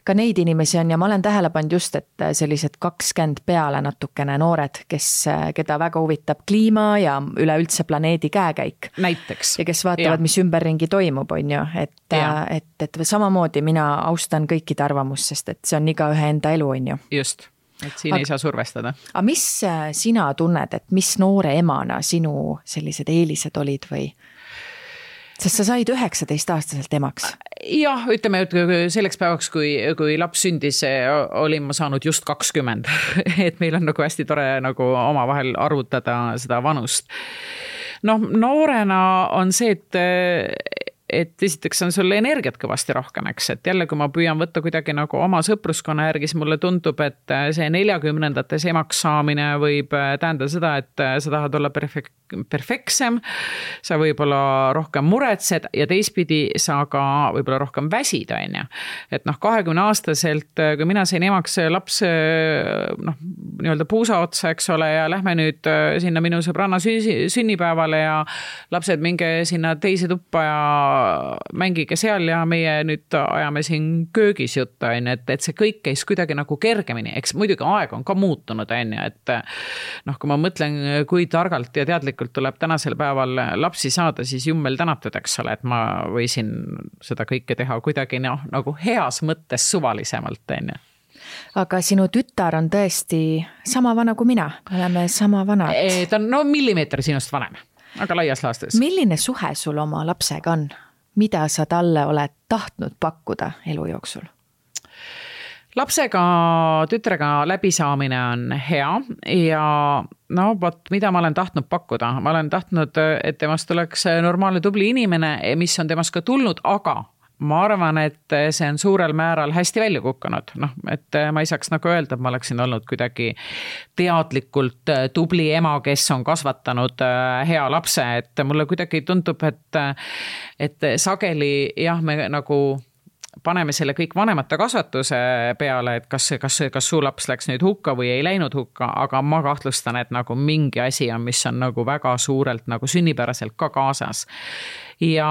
Ka neid inimesi on ja ma olen tähele pannud just, et sellised 20 peale natukene noored, keda väga huvitab kliima ja üleüldse planeedi käekäik. Näiteks. Ja kes vaatavad, mis ümberringi toimub, et samamoodi mina austan kõikide arvamust, sest et see on igaühe enda elu, Just, et siin ei saa survestada. Aga mis sina tunned, et mis noore emana sinu sellised eelised olid või? Sest sa said 19-aastaselt emaks. Jah, ütleme, et selleks päevaks, kui laps sündis, olin ma saanud just 20. Et meil on hästi tore omavahel arvutada seda vanust. Noorena on see, et esiteks on sul energiat kõvasti rohkem, eks, et jälle, kui ma püüan võtta kuidagi oma sõpruskonna järgi, siis mulle tundub, et see 40-ndates emaks saamine võib tähendada seda, et sa tahad olla perfektsem, sa võib-olla rohkem muretsed ja teistpidi sa ka võib-olla rohkem väsid, Et 20-aastaselt, kui mina sain emaks laps nii-öelda puusa otsa, eks ole, ja lähme nüüd sinna minu sõbranna sünnipäevale ja lapsed minge sinna teise tuppa ja mängige seal ja meie nüüd ajame siin köögis juttu, et see kõik käis kuidagi nagu kergemini, eks muidugi aeg on ka muutunud, et noh, kui ma mõtlen, kui targalt ja teadlikult tuleb tänasel päeval lapsi saada, siis jummel tänatud, eks ole, et ma võisin seda kõike teha kuidagi nagu heas mõttes suvalisemalt, Aga sinu tütar on tõesti sama vana kui mina, me oleme sama vanad. Ta on millimeeter sinust vanem, aga laias laastes. Milline suhe sul oma lapsega on? Mida sa talle oled tahtnud pakkuda elu jooksul? Lapsega, tütrega läbisaamine on hea ja mida ma olen tahtnud pakkuda? Ma olen tahtnud, et temast oleks normaalne tubli inimene, mis on temast ka tulnud, aga ma arvan, et see on suurel määral hästi välja kukkunud. Et ma ei saaks nagu öelda, et ma oleksin olnud kuidagi teadlikult tubli ema, kes on kasvatanud hea lapse, et mulle kuidagi tundub, et sageli me nagu paneme selle kõik vanemate kasvatuse peale, et kas su laps läks nüüd hukka või ei läinud hukka, aga ma kahtlustan, et nagu mingi asi on, mis on nagu väga suurelt nagu sünnipäraselt ka kaasas. Ja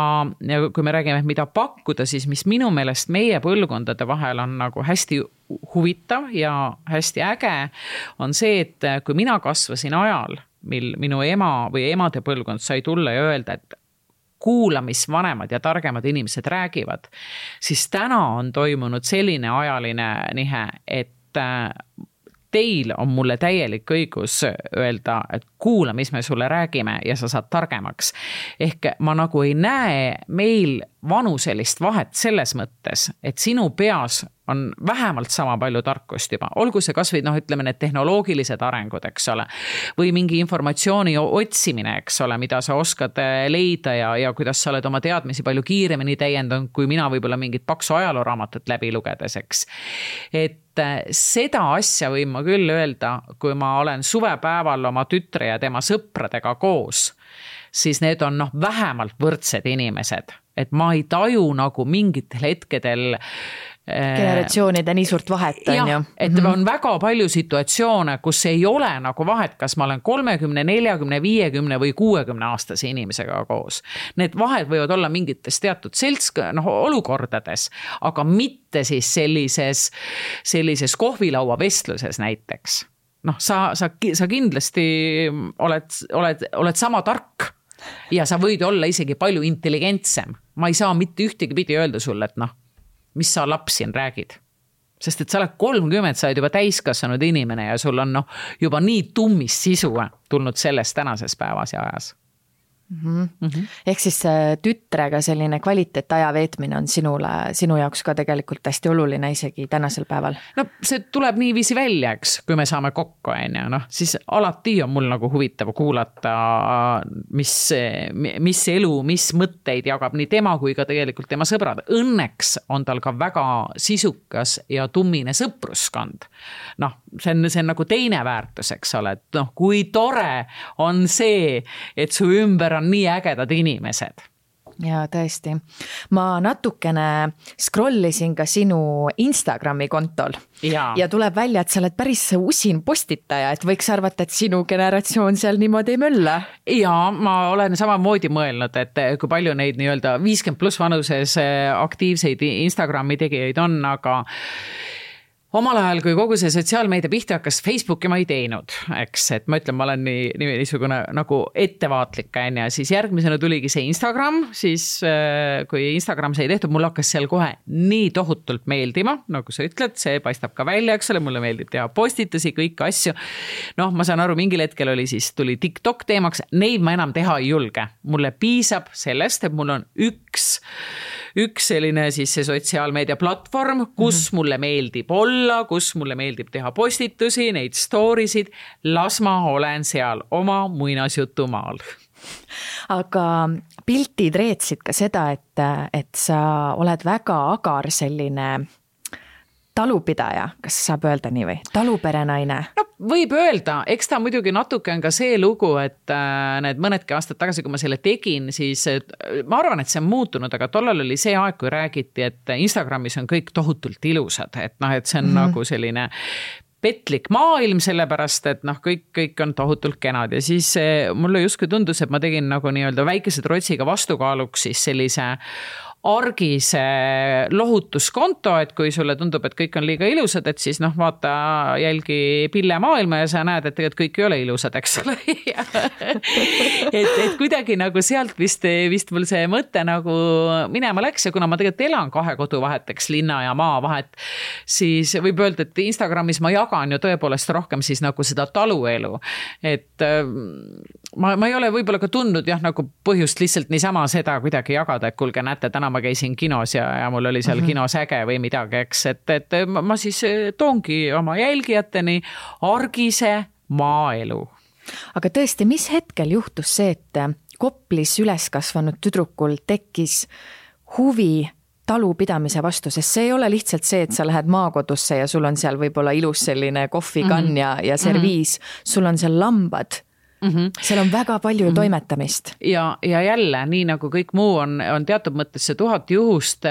kui me räägime, mida pakkuda, siis mis minu meelest meie põlvkondade vahel on nagu hästi huvitav ja hästi äge, on see, et kui mina kasvasin ajal, mil minu ema või emade põlvkond sai tulla ja öelda, et kuula, mis vanemad ja targemad inimesed räägivad, siis täna on toimunud selline ajaline nihe, et teil on mulle täielik õigus öelda, et kuula, mis me sulle räägime ja sa saad targemaks. Ehk ma nagu ei näe meil vanuselist vahet selles mõttes, et sinu peas on vähemalt sama palju tarkust juba. Olgu see kas või, ütleme, need tehnoloogilised arengud, eks ole, või mingi informatsiooni otsimine, eks ole, mida sa oskad leida ja kuidas sa oled oma teadmisi palju kiiremini täiendanud, kui mina võib-olla mingit paksu ajalooraamatut läbi lugedes, eks. Et seda asja võin ma küll öelda, kui ma olen suvepäeval oma tütre ja tema sõpradega koos, siis need on vähemalt võrdsed inimesed. Et ma ei taju nagu mingitel hetkedel generatsioonide nii suurt vahet on ju. Et on väga palju situatsioone, kus ei ole nagu vahet, kas ma olen 30, 40, 50 või 60 aastase inimesega koos. Need vahed võivad olla mingites teatud olukordades, aga mitte siis sellises kohvilaua vestluses näiteks. Sa kindlasti oled sama tark ja sa võid olla isegi palju intelligentsem. Ma ei saa mitte ühtegi pidi öelda sulle, et mis sa laps siin räägid. Sest et sa oled 30, sa oled juba täiskasvanud inimene ja sul on juba nii tummis sisu tulnud sellest tänases päevas ja ajas. Ehk siis tütrega selline kvaliteetaja veetmine on sinu jaoks ka tegelikult hästi oluline isegi tänasel päeval. See tuleb niiviisi välja, eks, kui me saame kokku, siis alati on mul nagu huvitav kuulata, mis elu, mis mõtteid jagab nii tema kui ka tegelikult tema sõbrad. Õnneks on tal ka väga sisukas ja tummine sõpruskond. See on nagu teine väärtus, eks ole, et kui tore on see, et su ümber on nii ägedad inimesed. Ja tõesti. Ma natukene scrollisin ka sinu Instagrami kontol ja tuleb välja, et sa oled päris usin postitaja, et võiks arvata, et sinu generatsioon seal niimoodi ei mölla. Ja ma olen samamoodi mõelnud, et kui palju neid nii-öelda 50+ vanuses aktiivseid Instagrami tegijaid on, aga omal ajal, kui kogu see sotsiaalmeedia pihta hakkas, Facebooki ma ei teinud, eks, et ma ütlen, ma olen niisugune nagu ettevaatlik, ja siis järgmisena tuligi see Instagram, siis kui Instagram sai tehtud, mul hakkas seal kohe nii tohutult meeldima, nagu sa ütled, see paistab ka välja, eks ole, mulle meeldib teha postitusi, kõiki asju. Ma saan aru, mingil hetkel tuli TikTok teemaks, neid ma enam teha ei julge. Mulle piisab sellest, et mul on üks selline siis see sotsiaalmeedia platvorm, kus mulle meeldib olla, kus mulle meeldib teha postitusi, neid storysid, las ma olen seal oma muinasjutumaal. Aga piltid reetsid ka seda, et sa oled väga agar selline talupidaja, kas saab öelda nii või? Taluperenaine? Võib öelda, eks ta muidugi natuke on ka see lugu, et need mõnedki aastad tagasi, kui ma selle tegin, siis ma arvan, et see on muutunud, aga tollal oli see aeg, kui räägiti, et Instagramis on kõik tohutult ilusad, et see on nagu selline petlik maailm, sellepärast, et noh, kõik on tohutult kenad ja siis mulle justkui tundus, et ma tegin nagu nii-öelda väikese trotsiga vastukaaluks siis sellise argise lohutuskonto, et kui sulle tundub, et kõik on liiga ilusad, et siis noh, vaata jälgi Pille maailma ja sa näed, et tegelikult kõik ei ole ilusad, eks ole. et kuidagi nagu sealt vist mul see mõte nagu minema läks ja kuna ma tegelikult elan 2 kodu vahet, eks linna ja maa vahet, siis võib öelda, et Instagramis ma jagan ju tõepoolest rohkem siis nagu seda taluelu. Et ma ei ole võib-olla ka tundnud jah, nagu põhjust lihtsalt niisama seda kuidagi jagada, et kuulge, näete, täna ma käisin kinos ja mul oli seal kinos äge või midagi, eks, et ma siis toongi oma jälgijateni argise maaelu. Aga tõesti, mis hetkel juhtus see, et Koplis üles kasvanud tüdrukul tekkis huvi talupidamise vastu, sest see ei ole lihtsalt see, et sa lähed maakodusse ja sul on seal võib-olla ilus selline kohvikann ja serviis, sul on seal lambad. Seal on väga palju toimetamist. Ja jälle, nii nagu kõik muu on teatud mõttes see 1000 juhust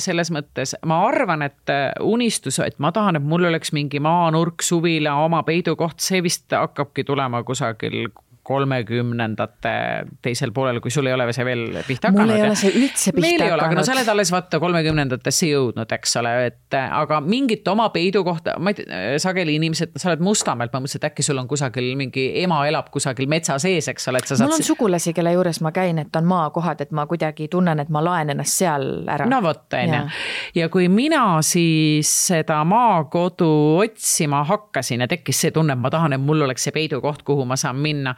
selles mõttes. Ma arvan, et unistus, et ma tahan, et mul oleks mingi maanurk, suvila, oma peidukoht, see vist hakkabki tulema kusagil 30ndate teisel poolel, kui sul ei ole see veel pihta hakanud. Mul ei ole see üldse pihta hakanud. Meil ei ole, aga no sa oled alles vaata 30ndatesse jõudnud, eks ole, et aga mingit oma peidukohta, ma ei tea, sageli inimesed, sa oled Mustamäelt, ma mõtlesin, et äkki sul on kusagil mingi ema elab kusagil metsa sees, eks ole, et sa saad... Mul on sugulasi, kelle juures ma käin, et on maakohad, et ma kuidagi tunnen, et ma laen ennast seal ära. No vot, ja kui mina siis seda maakodu otsima hakkasin ja tekkis see tunne, et ma tahan, et mul oleks see peidukoht, kuhu ma saan minna.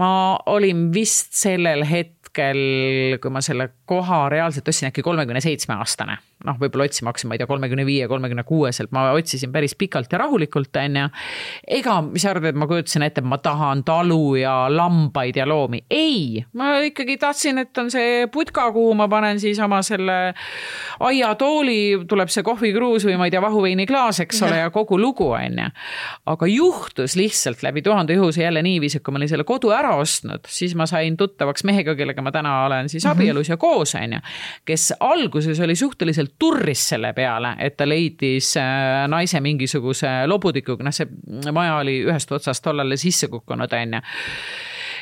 Ma olin vist sellel hetkel, kui ma selle koha reaalselt ostsin äkki 37-aastane. Noh, võib-olla otsima hakkasin, ma ei tea, 35-36-selt. Ma otsisin päris pikalt ja rahulikult. Ega, mis arvad, et ma kujutasin ette, et ma tahan talu ja lambaid ja loomi. Ei, ma ikkagi tahtsin, et on see putka, kuhu ma panen siis oma selle aiatooli, tuleb see kohvikruus või ma ei tea, vahuveini klaas, eks ole, ja kogu lugu. Aga juhtus lihtsalt läbi 1000 juhuse jälle niiviisi, kui ma olin selle kodu ära ostnud, siis ma sain tuttavaks mehega, kellega ma täna olen siis abielus ja koos, kes alguses oli suhteliselt turris selle peale, et ta leidis naise mingisuguse lobudikuga, see maja oli ühest otsast tollale sisse kukkunud,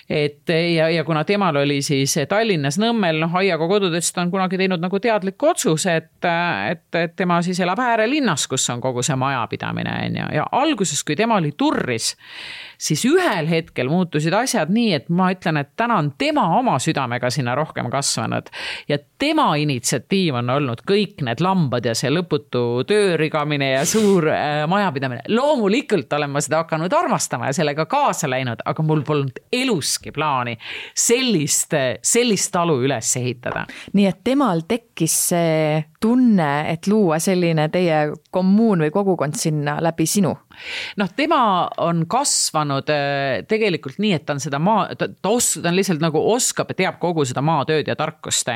et ja kuna temal oli siis Tallinnas Nõmmel, aiaga kodudest on kunagi teinud nagu teadliku otsuse, et tema siis elab äärelinnas, kus on kogu see majapidamine, ja alguses, kui tema oli turris, siis ühel hetkel muutusid asjad nii, et ma ütlen, et täna on tema oma südamega sinna rohkem kasvanud ja tema initsiatiiv on olnud kõik need lambad ja see lõputu töörigamine ja suur majapidamine. Loomulikult olen ma seda hakanud armastama ja sellega kaasa läinud, aga mul polnud eluski plaani sellist talu üles ehitada. Nii et temal tekkis see tunne, et luua selline teie kommuun või kogukond sinna läbi sinu? Noh, tema on kasvanud tegelikult nii, et ta on seda ta on lihtsalt nagu oskab ja teab kogu seda maatööd ja tarkust.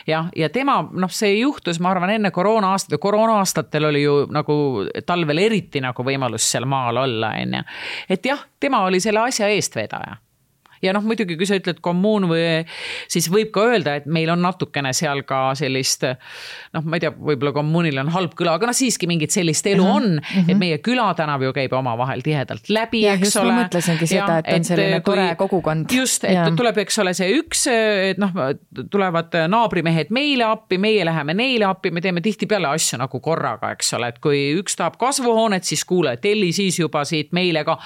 Ja tema, see juhtus, ma arvan, enne koroona-aastatel oli ju nagu talvel eriti nagu võimalus seal maal olla. Et jah, tema oli selle asja eestvedaja. Ja muidugi, kui sa ütled kommuun või siis võib ka öelda, et meil on natukene seal ka sellist, ma ei tea, võib-olla kommuunil on halb küla, aga siiski mingit sellist elu on, et meie külatänav ju käib oma vahel tihedalt läbi, ja, eks ole. Ma mõtlesingi seda, et on selline tore kogukond. Just, et tuleb, eks ole, see üks, et tulevad naabrimehed meile appi, meie läheme neile appi, me teeme tihti peale asju nagu korraga, eks ole, et kui üks tahab kasvuhoonet, siis kuule, telli siis juba siit meile ka,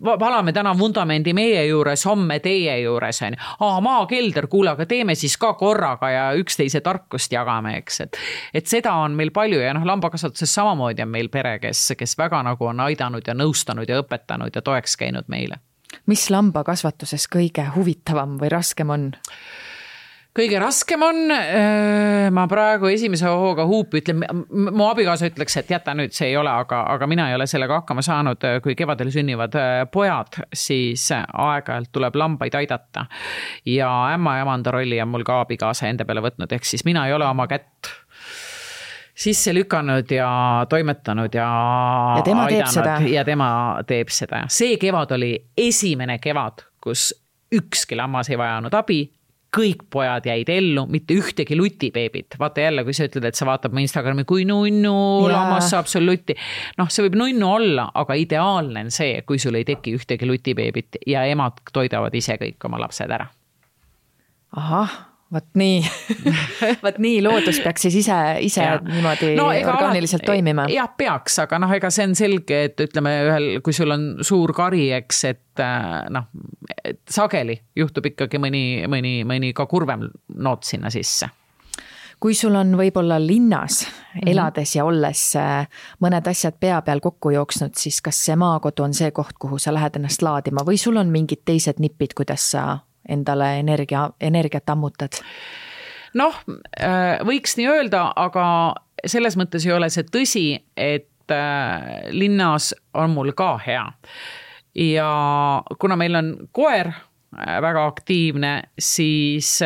valame täna vundamendi meie juures, homme teie juures on. Maakelder, kuule, aga teeme siis ka korraga ja üksteise tarkust jagame, eks. Et seda on meil palju ja lambakasvatuses samamoodi on meil pere, kes väga nagu on aidanud ja nõustanud ja õpetanud ja toeks käinud meile. Mis lambakasvatuses kõige huvitavam või raskem on? Kõige raskem on, ma praegu esimese hooga huupi ütlen, mu abikaasa ütleks, et jäta nüüd, see ei ole, aga mina ei ole sellega hakkama saanud, kui kevadel sünnivad pojad, siis aeg-ajalt tuleb lambaid aidata. Ja ämma ja emanda rolli on mul ka abikaasa enda peale võtnud, ehk siis mina ei ole oma kätt sisse lükanud ja toimetanud ja tema aidanud. Teeb seda. Ja tema teeb seda. See kevad oli esimene kevad, kus ükski lammas ei vajanud abi. kõik pojad jäid ellu, mitte ühtegi lutibeebit. Vaata jälle, kui sa ütled, et sa vaatab mu Instagrami, kui nunnu lammas saab sul lutti. Noh, see võib nunnu olla, aga ideaalne on see, kui sul ei teki ühtegi lutibeebit ja emad toidavad ise kõik oma lapsed ära. Ahah, võt nii loodus peaks siis ise niimoodi orgaaniliselt toimima. Jah, peaks, aga ega see on selge, et ütleme kui sul on suur kari, eks, et sageli juhtub ikkagi mõni ka kurvem noot sinna sisse. Kui sul on võib-olla linnas elades ja olles mõned asjad pea peal kokku jooksnud, siis kas see maakodu on see koht, kuhu sa lähed ennast laadima või sul on mingid teised nipid, kuidas sa endale energiat ammutad? Noh, võiks nii öelda, aga selles mõttes ei ole see tõsi, et linnas on mul ka hea. Ja kuna meil on koer väga aktiivne, siis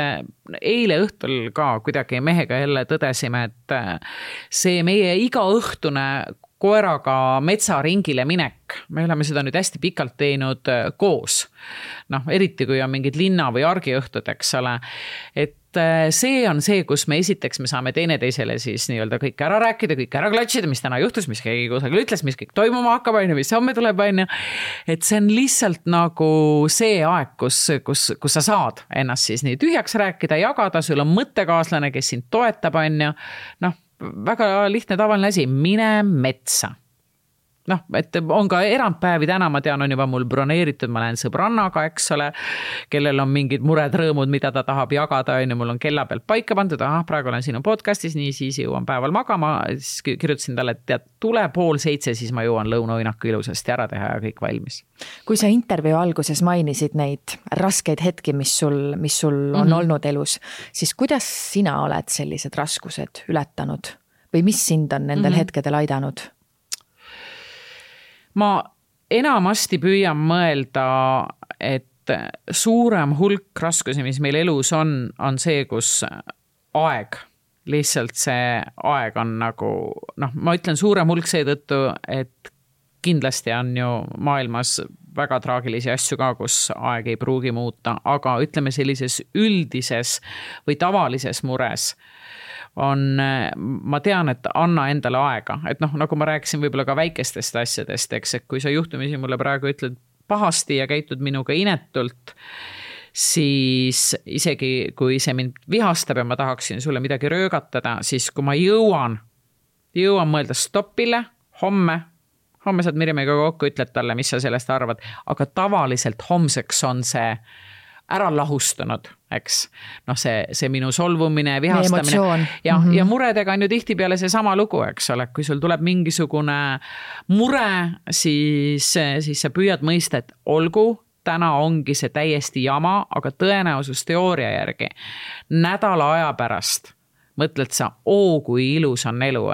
eile õhtul ka kuidagi mehega jälle tõdesime, et see meie iga õhtune koeraga metsaringile minek, me oleme seda nüüd hästi pikalt teinud koos. Noh, eriti kui on mingid linna või argiõhtud, eks ole, et see on see, kus me esiteks me saame teineteisele siis nii-öelda kõik ära rääkida, kõik ära klatšida, mis täna juhtus, mis keegi kusagil ütles, mis kõik toimuma hakkab, mis homme tuleb, et see on lihtsalt nagu see aeg, kus sa saad ennast siis nii tühjaks rääkida, jagada, sul on mõttekaaslane, kes sind toetab, noh, väga lihtne tavaline asi, mine metsa. Noh, et on ka erandpäevi täna, ma tean, on juba mul broneeritud, ma lähen sõbrannaga, eks ole, kellel on mingid mured, rõõmud, mida ta tahab jagada, mul on kella pealt paika pandud, praegu olen sinu podcastis, nii siis jõuan päeval magama, siis kirjutasin talle, et tule 6:30, siis ma jõuan lõunauinaku ilusasti ära teha ja kõik valmis. Kui sa intervjuu alguses mainisid neid raskeid hetki, mis sul on olnud elus, siis kuidas sina oled sellised raskused ületanud või mis sind on nendel hetkedel aidanud? Ma enamasti püüan mõelda, et suurem hulk raskusi, mis meil elus on see, kus aeg, lihtsalt see aeg on nagu, ma ütlen suurem hulk seetõttu, et kindlasti on ju maailmas väga traagilisi asju ka, kus aeg ei pruugi muuta, aga ütleme sellises üldises või tavalises mures ma tean, et anna endale aega, et nagu ma rääkisin võib-olla ka väikestest asjadest, eks, et kui sa juhtumisi mulle praegu ütled pahasti ja käitud minuga inetult, siis isegi kui see mind vihastab ja ma tahaksin sulle midagi röögatada, siis kui ma jõuan mõelda stoppile, homme saad Mirjamiga kokku, ütled talle, mis sa sellest arvad, aga tavaliselt homseks on see ära lahustunud, eks. See minu solvumine, vihastamine. Ja muredega on ju tihtipeale see sama lugu, eks ole. Kui sul tuleb mingisugune mure, siis sa püüad mõista, et olgu, täna ongi see täiesti jama, aga tõenäosus teooria järgi nädala aja pärast mõtled sa, kui ilus on elu,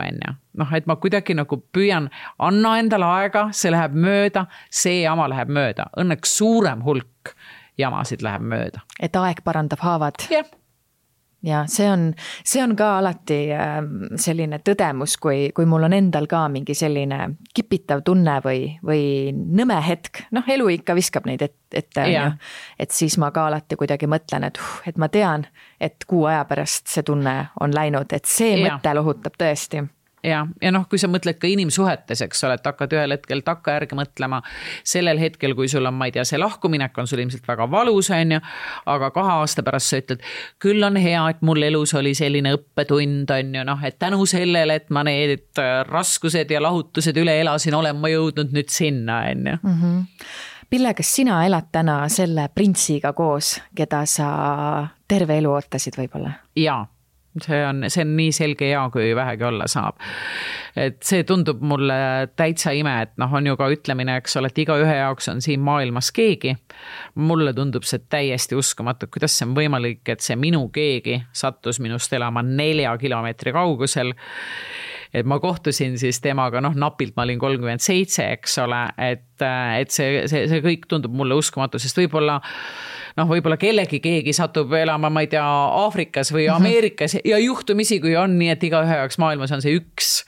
et ma kuidagi nagu püüan, anna endale aega, see läheb mööda, see jama läheb mööda. Õnneks suurem hulk jamasid läheb mööda. Et aeg parandab haavad. Yeah. Ja see on ka alati selline tõdemus, kui mul on endal ka mingi selline kipitav tunne või nõme hetk, elu ikka viskab neid ette, et siis ma ka alati kuidagi mõtlen, et ma tean, et kuu aja pärast see tunne on läinud, et see mõte lohutab tõesti. Ja kui sa mõtled ka inimsuhetes, eks ole, et hakkad ühel hetkel takka järgi mõtlema sellel hetkel, kui sul on, ma ei tea, see lahkuminek on sul ilmselt väga valus, aga 2 aasta pärast sa ütled, küll on hea, et mul elus oli selline õppetund, et tänu sellele, et ma need raskused ja lahutused üle elasin, olen ma jõudnud nüüd sinna, Pille, kas sina elad täna selle printsiga koos, keda sa terve elu ootasid võib-olla? Jaa. See on nii selge ja, kui vähegi olla saab. Et see tundub mulle täitsa ime, et on ju ka ütlemine, eks ole, et iga ühe jaoks on siin maailmas keegi. Mulle tundub see täiesti uskumatu, kuidas see on võimalik, et see minu keegi sattus minust elama 4 kilomeetri kaugusel. Et ma kohtusin siis temaga, napilt ma olin 37, eks ole, et et see kõik tundub mulle uskumatu, sest võib-olla keegi satub elama, ma ei tea, Aafrikas või Ameerikas ja juhtumisi, kui on nii, et igaühe jaoks maailmas on see üks,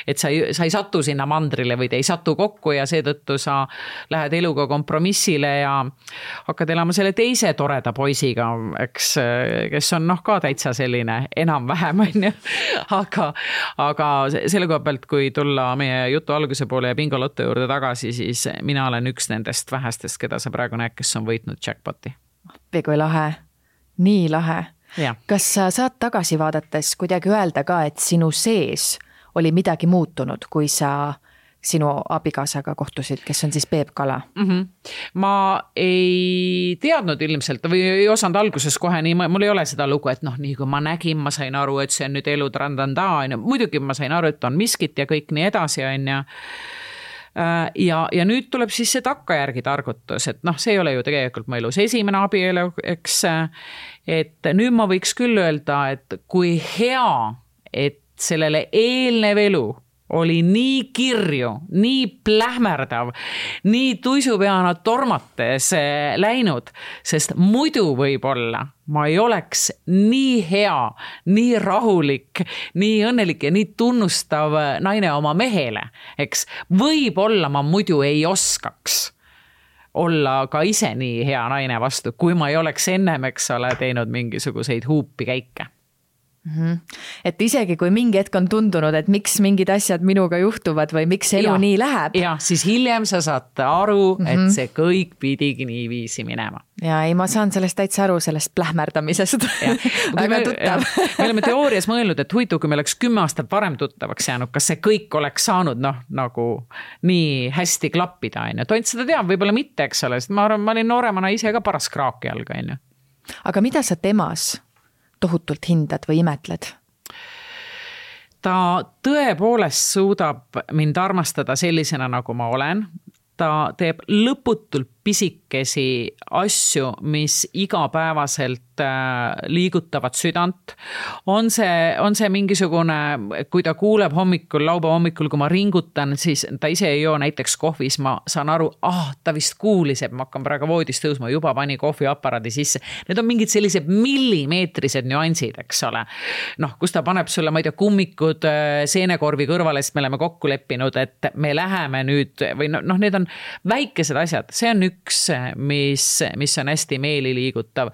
et sa ei satu sinna mandrile või te ei satu kokku ja seetõttu sa lähed eluga kompromissile ja hakkad elama selle teise toreda poisiga, eks, kes on ka täitsa selline enam-vähem, on ju. Aga selle koha pealt, kui tulla meie jutu alguse poole ja bingolotto juurde tagasi, siis mina olen üks nendest vähestest, keda sa praegu näed, kes on võitnud jackpoti. Kui lahe, nii lahe. Ja. Kas sa saad tagasi vaadates kuidagi öelda ka, et sinu sees oli midagi muutunud, kui sa sinu abikaasaga kohtusid, kes on siis Peep Kala? Ma ei teadnud ilmselt või ei osanud alguses kohe nii, mul ei ole seda lugu, et nii kui ma nägin, ma sain aru, et see on nüüd elu trandanda, muidugi ma sain aru, et on miskit ja kõik nii edasi, on ju. Ja nüüd tuleb siis see takkajärgi targutus, et see ei ole ju tegelikult mu elus esimene abielu, eks, et nüüd ma võiks küll öelda, et kui hea, et sellele eelnev elu oli nii kirju, nii plähmerdav, nii tuisupeana tormates läinud, sest muidu võib-olla ma ei oleks nii hea, nii rahulik, nii õnnelik ja nii tunnustav naine oma mehele, eks. Võib-olla ma muidu ei oskaks olla ka ise nii hea naine vastu, kui ma ei oleks ennem, eks ole, teinud mingisuguseid huupi käike. Et isegi kui mingi hetk on tundunud, et miks mingid asjad minuga juhtuvad või miks elu nii läheb. Ja, siis hiljem sa saad aru, et see kõik pidigi nii viisi minema. Ja ei, ma saan sellest täitsa aru, sellest plähmerdamisest. Väga tuttav. Me oleme teoorias mõelnud, et huvitav, kui me oleks 10 aastat varem tuttavaks jäänud, kas see kõik oleks saanud nagu nii hästi klappida. Tont seda teab, võib-olla mitte, eks ole, sest ma olin nooremana ise ka paras kraaki alga. Aga mida sa temas tohutult hindad või imetled? Ta tõepoolest suudab mind armastada sellisena, nagu ma olen. Ta teeb lõputult pisikesi asju, mis igapäevaselt liigutavad südant. On see mingisugune, kui ta kuuleb laupäeva hommikul, kui ma ringutan, siis ta ise ei joo näiteks kohvis, ma saan aru, ta vist kuulis, et ma hakkan praegu voodist tõusma, juba pani kohviaparaadi sisse. Need on mingid sellised millimeetrised nüansid, eks ole. Kus ta paneb sulle, ma ei tea, kummikud seenekorvi kõrvale, sest me oleme kokku leppinud, et me läheme nüüd, või need on väikesed asjad, see on üks, mis on hästi meeliliigutav.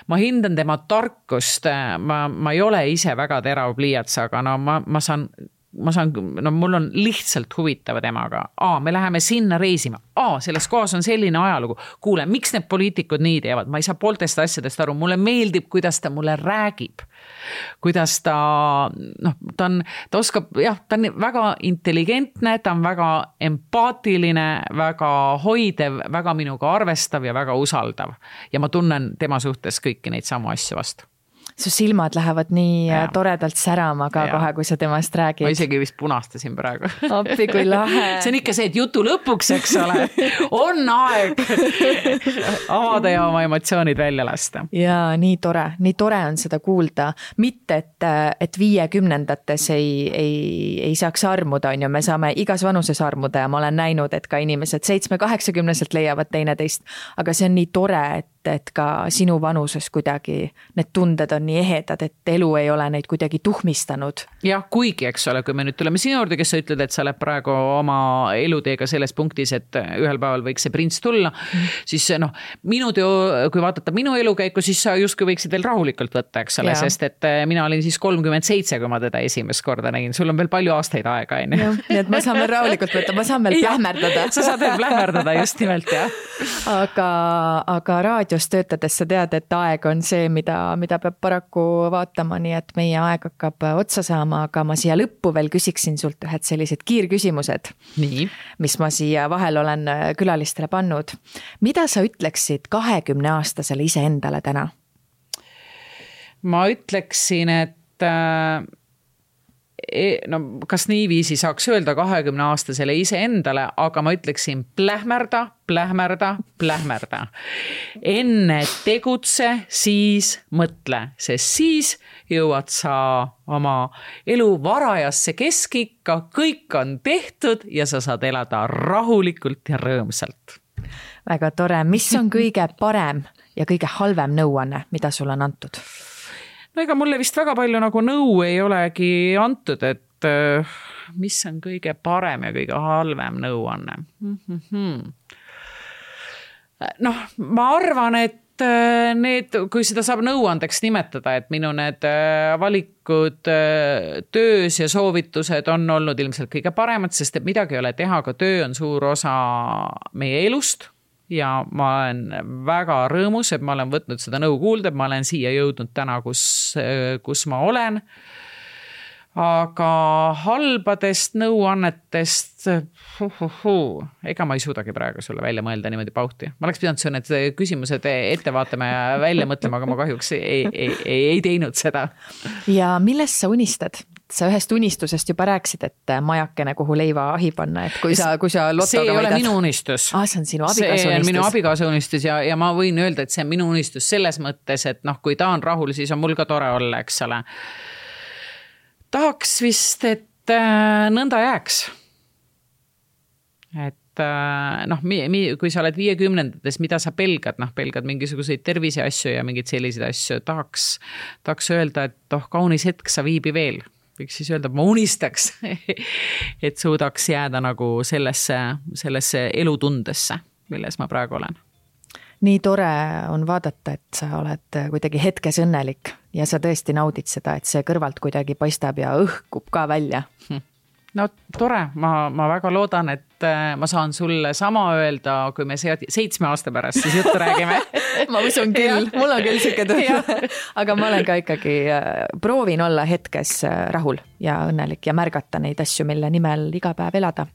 Ma hindan tema tarkust, ma ei ole ise väga terav pliiats, aga ma saan, mul on lihtsalt huvitav temaga. Me läheme sinna reisima. Selles kohas on selline ajalugu. Kuule, miks need poliitikud nii teevad? Ma ei saa pooltest asjadest aru. Mulle meeldib, kuidas ta mulle räägib. Kuidas ta oskab, ta on väga intelligentne, ta on väga empaatiline, väga hoidev, väga minuga arvestav ja väga usaldav. Ja ma tunnen tema suhtes kõiki neid samu asju vastu. Su silmad lähevad nii toredalt särama ka kohe, kui sa temast räägid. Ma isegi vist punastasin praegu. Appi, kui lahe. See on ikka see, et jutu lõpuks, eks ole, on aeg avada ja oma emotsioonid välja lasta. Ja nii tore on seda kuulda. Mitte, et 50-ndates ei saaks armuda, on ju, me saame igas vanuses armuda ja ma olen näinud, et ka inimesed 7-80-selt leiavad teineteist, aga see on nii tore, et ka sinu vanuses kuidagi need tunded on nii ehedad, et elu ei ole neid kuidagi tuhmistanud. Jah, kuigi, eks ole, kui me nüüd tuleme sinu juurde, kes sa ütled, et sa oled praegu oma eluteega selles punktis, et ühel päeval võiks see prints tulla, siis kui vaadata minu elukäiku, siis sa justkui võiksid veel rahulikult võtta, eks ole, sest et mina olin siis 37, kui ma teda esimest korda nägin. Sul on veel palju aastaid aega, on ju. Nii et ma saan veel rahulikult võtta, ma saan veel plähmerdada. Sa saad veel plähmerdada, just nimelt, jah. Aga raadios töötades sa tead, et aeg on see, mida peab paraku vaatama, nii et meie aeg hakkab otsa saama, aga ma siia lõppu veel küsiksin sult ühed sellised kiirküsimused, mis ma siia vahel olen külalistele pannud. Mida sa ütleksid 20-aastasele iseendale täna? Ma ütleksin, no kas niiviisi saaks öelda 20-aastasele iseendale, aga ma ütleksin plähmerda. Enne tegutse, siis mõtle, sest siis jõuad sa oma elu varajasse keskikka, kõik on tehtud ja sa saad elada rahulikult ja rõõmsalt. Väga tore. Mis on kõige parem ja kõige halvem nõuanne, mida sul on antud? No ega mulle vist väga palju nagu nõu ei olegi antud, et mis on kõige parem ja kõige halvem nõuanne. Noh, ma arvan, et kui seda saab nõuandeks nimetada, et minu need valikud töös ja soovitused on olnud ilmselt kõige paremad, sest et midagi ei ole teha, aga töö on suur osa meie elust. Ja ma olen väga rõõmus, et ma olen võtnud seda nõu kuulda, et ma olen siia jõudnud täna, kus ma olen. Aga halbadest nõuannetest, ega ma ei suudagi praegu sulle välja mõelda niimoodi pauhti. Ma oleks pidanud su need küsimused ette vaatama ja välja mõtlema, aga ma kahjuks ei teinud seda. Ja millest sa unistad? Sa ühest unistusest juba rääksid, et majakene, kuhu leiva ahi panna, et kui sa lotoga see ei ole minu unistus. See on sinu abikaasa unistus. See on minu abikaasa unistus ja ma võin öelda, et see on minu unistus selles mõttes, et kui ta on rahul, siis on mul ka tore olla, eks ole. Tahaks vist, et nõnda jääks. Et kui sa oled 50-ndates, mida sa pelgad, pelgad mingisuguseid tervise asju ja mingid sellised asju, tahaks öelda, et kaunis hetk sa viibi veel. Võiks siis öelda, et ma unistaks, et suudaks jääda nagu sellesse elutundesse, milles ma praegu olen. Nii tore on vaadata, et sa oled kuidagi hetkes õnnelik ja sa tõesti naudid seda, et see kõrvalt kuidagi paistab ja õhkub ka välja. No tore, ma väga loodan, et ma saan sulle sama öelda, kui me 7 aasta pärast siis juttu räägime. Ma usun küll, mul on küll siuke tunne. Aga ma olen ka ikkagi, proovin olla hetkes rahul ja õnnelik ja märgata neid asju, mille nimel iga päev elada.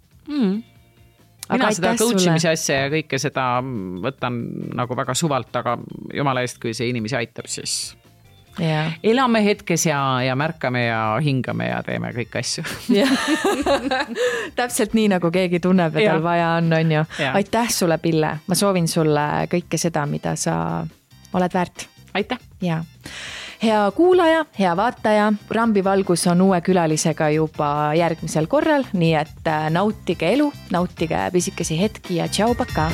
Mina seda coachimise asja ja kõike seda võtan nagu väga suvalt, aga jumala eest, kui see inimesi aitab, siis elame hetkes ja märkame ja hingame ja teeme kõik asju. Täpselt nii, nagu keegi tunneb, et tal vaja on ju. Aitäh sulle, Pille. Ma soovin sulle kõike seda, mida sa oled väärt. Aitäh. Ja. Hea kuulaja, hea vaataja, Rambivalgus on uue külalisega juba järgmisel korral, nii et nautige elu, nautige pisikesi hetki ja tšau, paka!